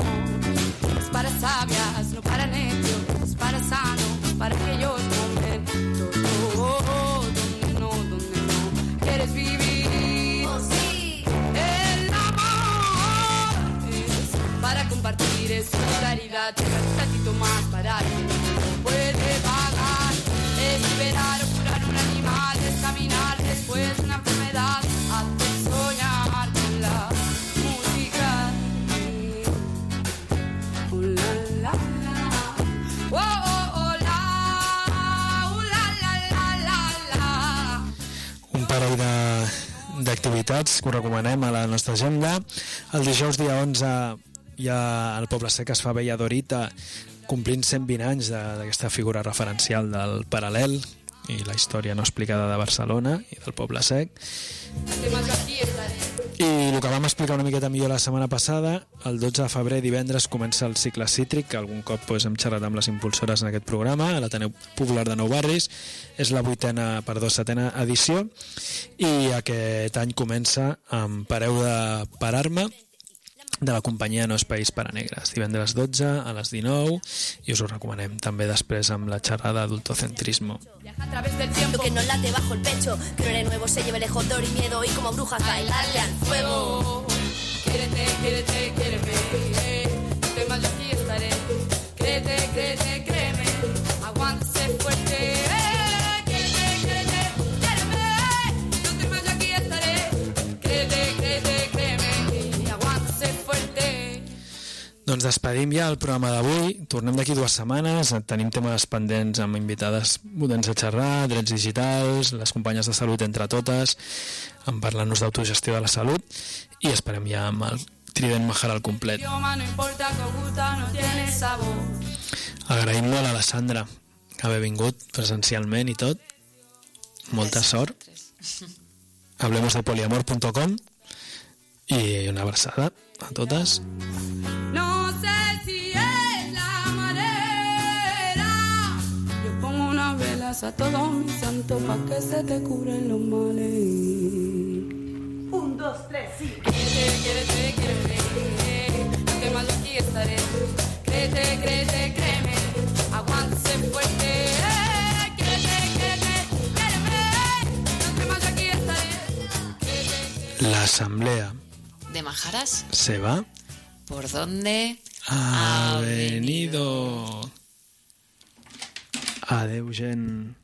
es para sabias, no para necios, es para sanos, para aquellos momentos oh, oh, donde no, donde no quieres vivir. Oh, sí. El amor es para compartir, es solidaridad, un ratito más para quien no lo puede pagar. Es liberar o curar un animal, es caminar después de una enfermedad, hacer soñar con la música. Oh, la, la, la. Oh, oh, oh, la. Oh, la, la, la, la, la. Un parell de, d'activitats que us recomanem a la nostra agenda. El dijous dia onze hi ha al Poble Sec, es fa Bella Dorita, complint cent vint anys d'aquesta figura referencial del paral·lel i la història no explicada de Barcelona i del Poble Sec. I el que vam explicar una miqueta millor la setmana passada, el dotze de febrer, divendres, comença el cicle cítric, que algun cop pues, hem xerrat amb les impulsores en aquest programa, a l'Ateneu Popular de Nou Barris. És la vuitena, perdó, setena edició, i aquest any comença amb Pareu de Parar-me, de la companyia No Espais para Negres, divendres dotze a les dinou, i us ho recomanem també després amb la xerrada Adultocentrismo. Viaja a través del tiempo. Lo que nos late bajo el pecho, que no eres nuevo, se lleve lejos dolor y miedo, y como brujas bailarle al fuego. Quédate, quédate, quédate. No temas, yo aquí estaré. Créete, créete, créeme. Aguántese fuerte. Quédate, créete, créeme. No temas, yo aquí estaré. Créete, créete, créeme. Y aguántese fuerte. Doncs despedim ja el programa d'avui. Tornem d'aquí dues setmanes. Tenim temes pendents amb invitades potents a xerrar, drets digitals, les companyes de salut entre totes, en parlant-nos d'autogestió de la salut, i esperem ja amb el Trident Mahara al complet. Idioma no importa, que os gusta, no tiene sabor. Agraïm molt a la Sandra que haver vingut presencialment i tot. Molta sort. hablemos de poliamor punto com I una abraçada a totes. No sé si es la manera. Yo pongo unas velas a todos mis santos pa' que se te cubren los males. Un, dos, tres, sí. Créete, créete, créeme. No temas, yo aquí estaré. Créete, créete, créeme. Aguántese fuerte. Créete, créete, créeme. No temas, yo aquí estaré. Créete, La asamblea ¿De Majaras? se va. ¿Por dónde Ha venido. Adeu, gent.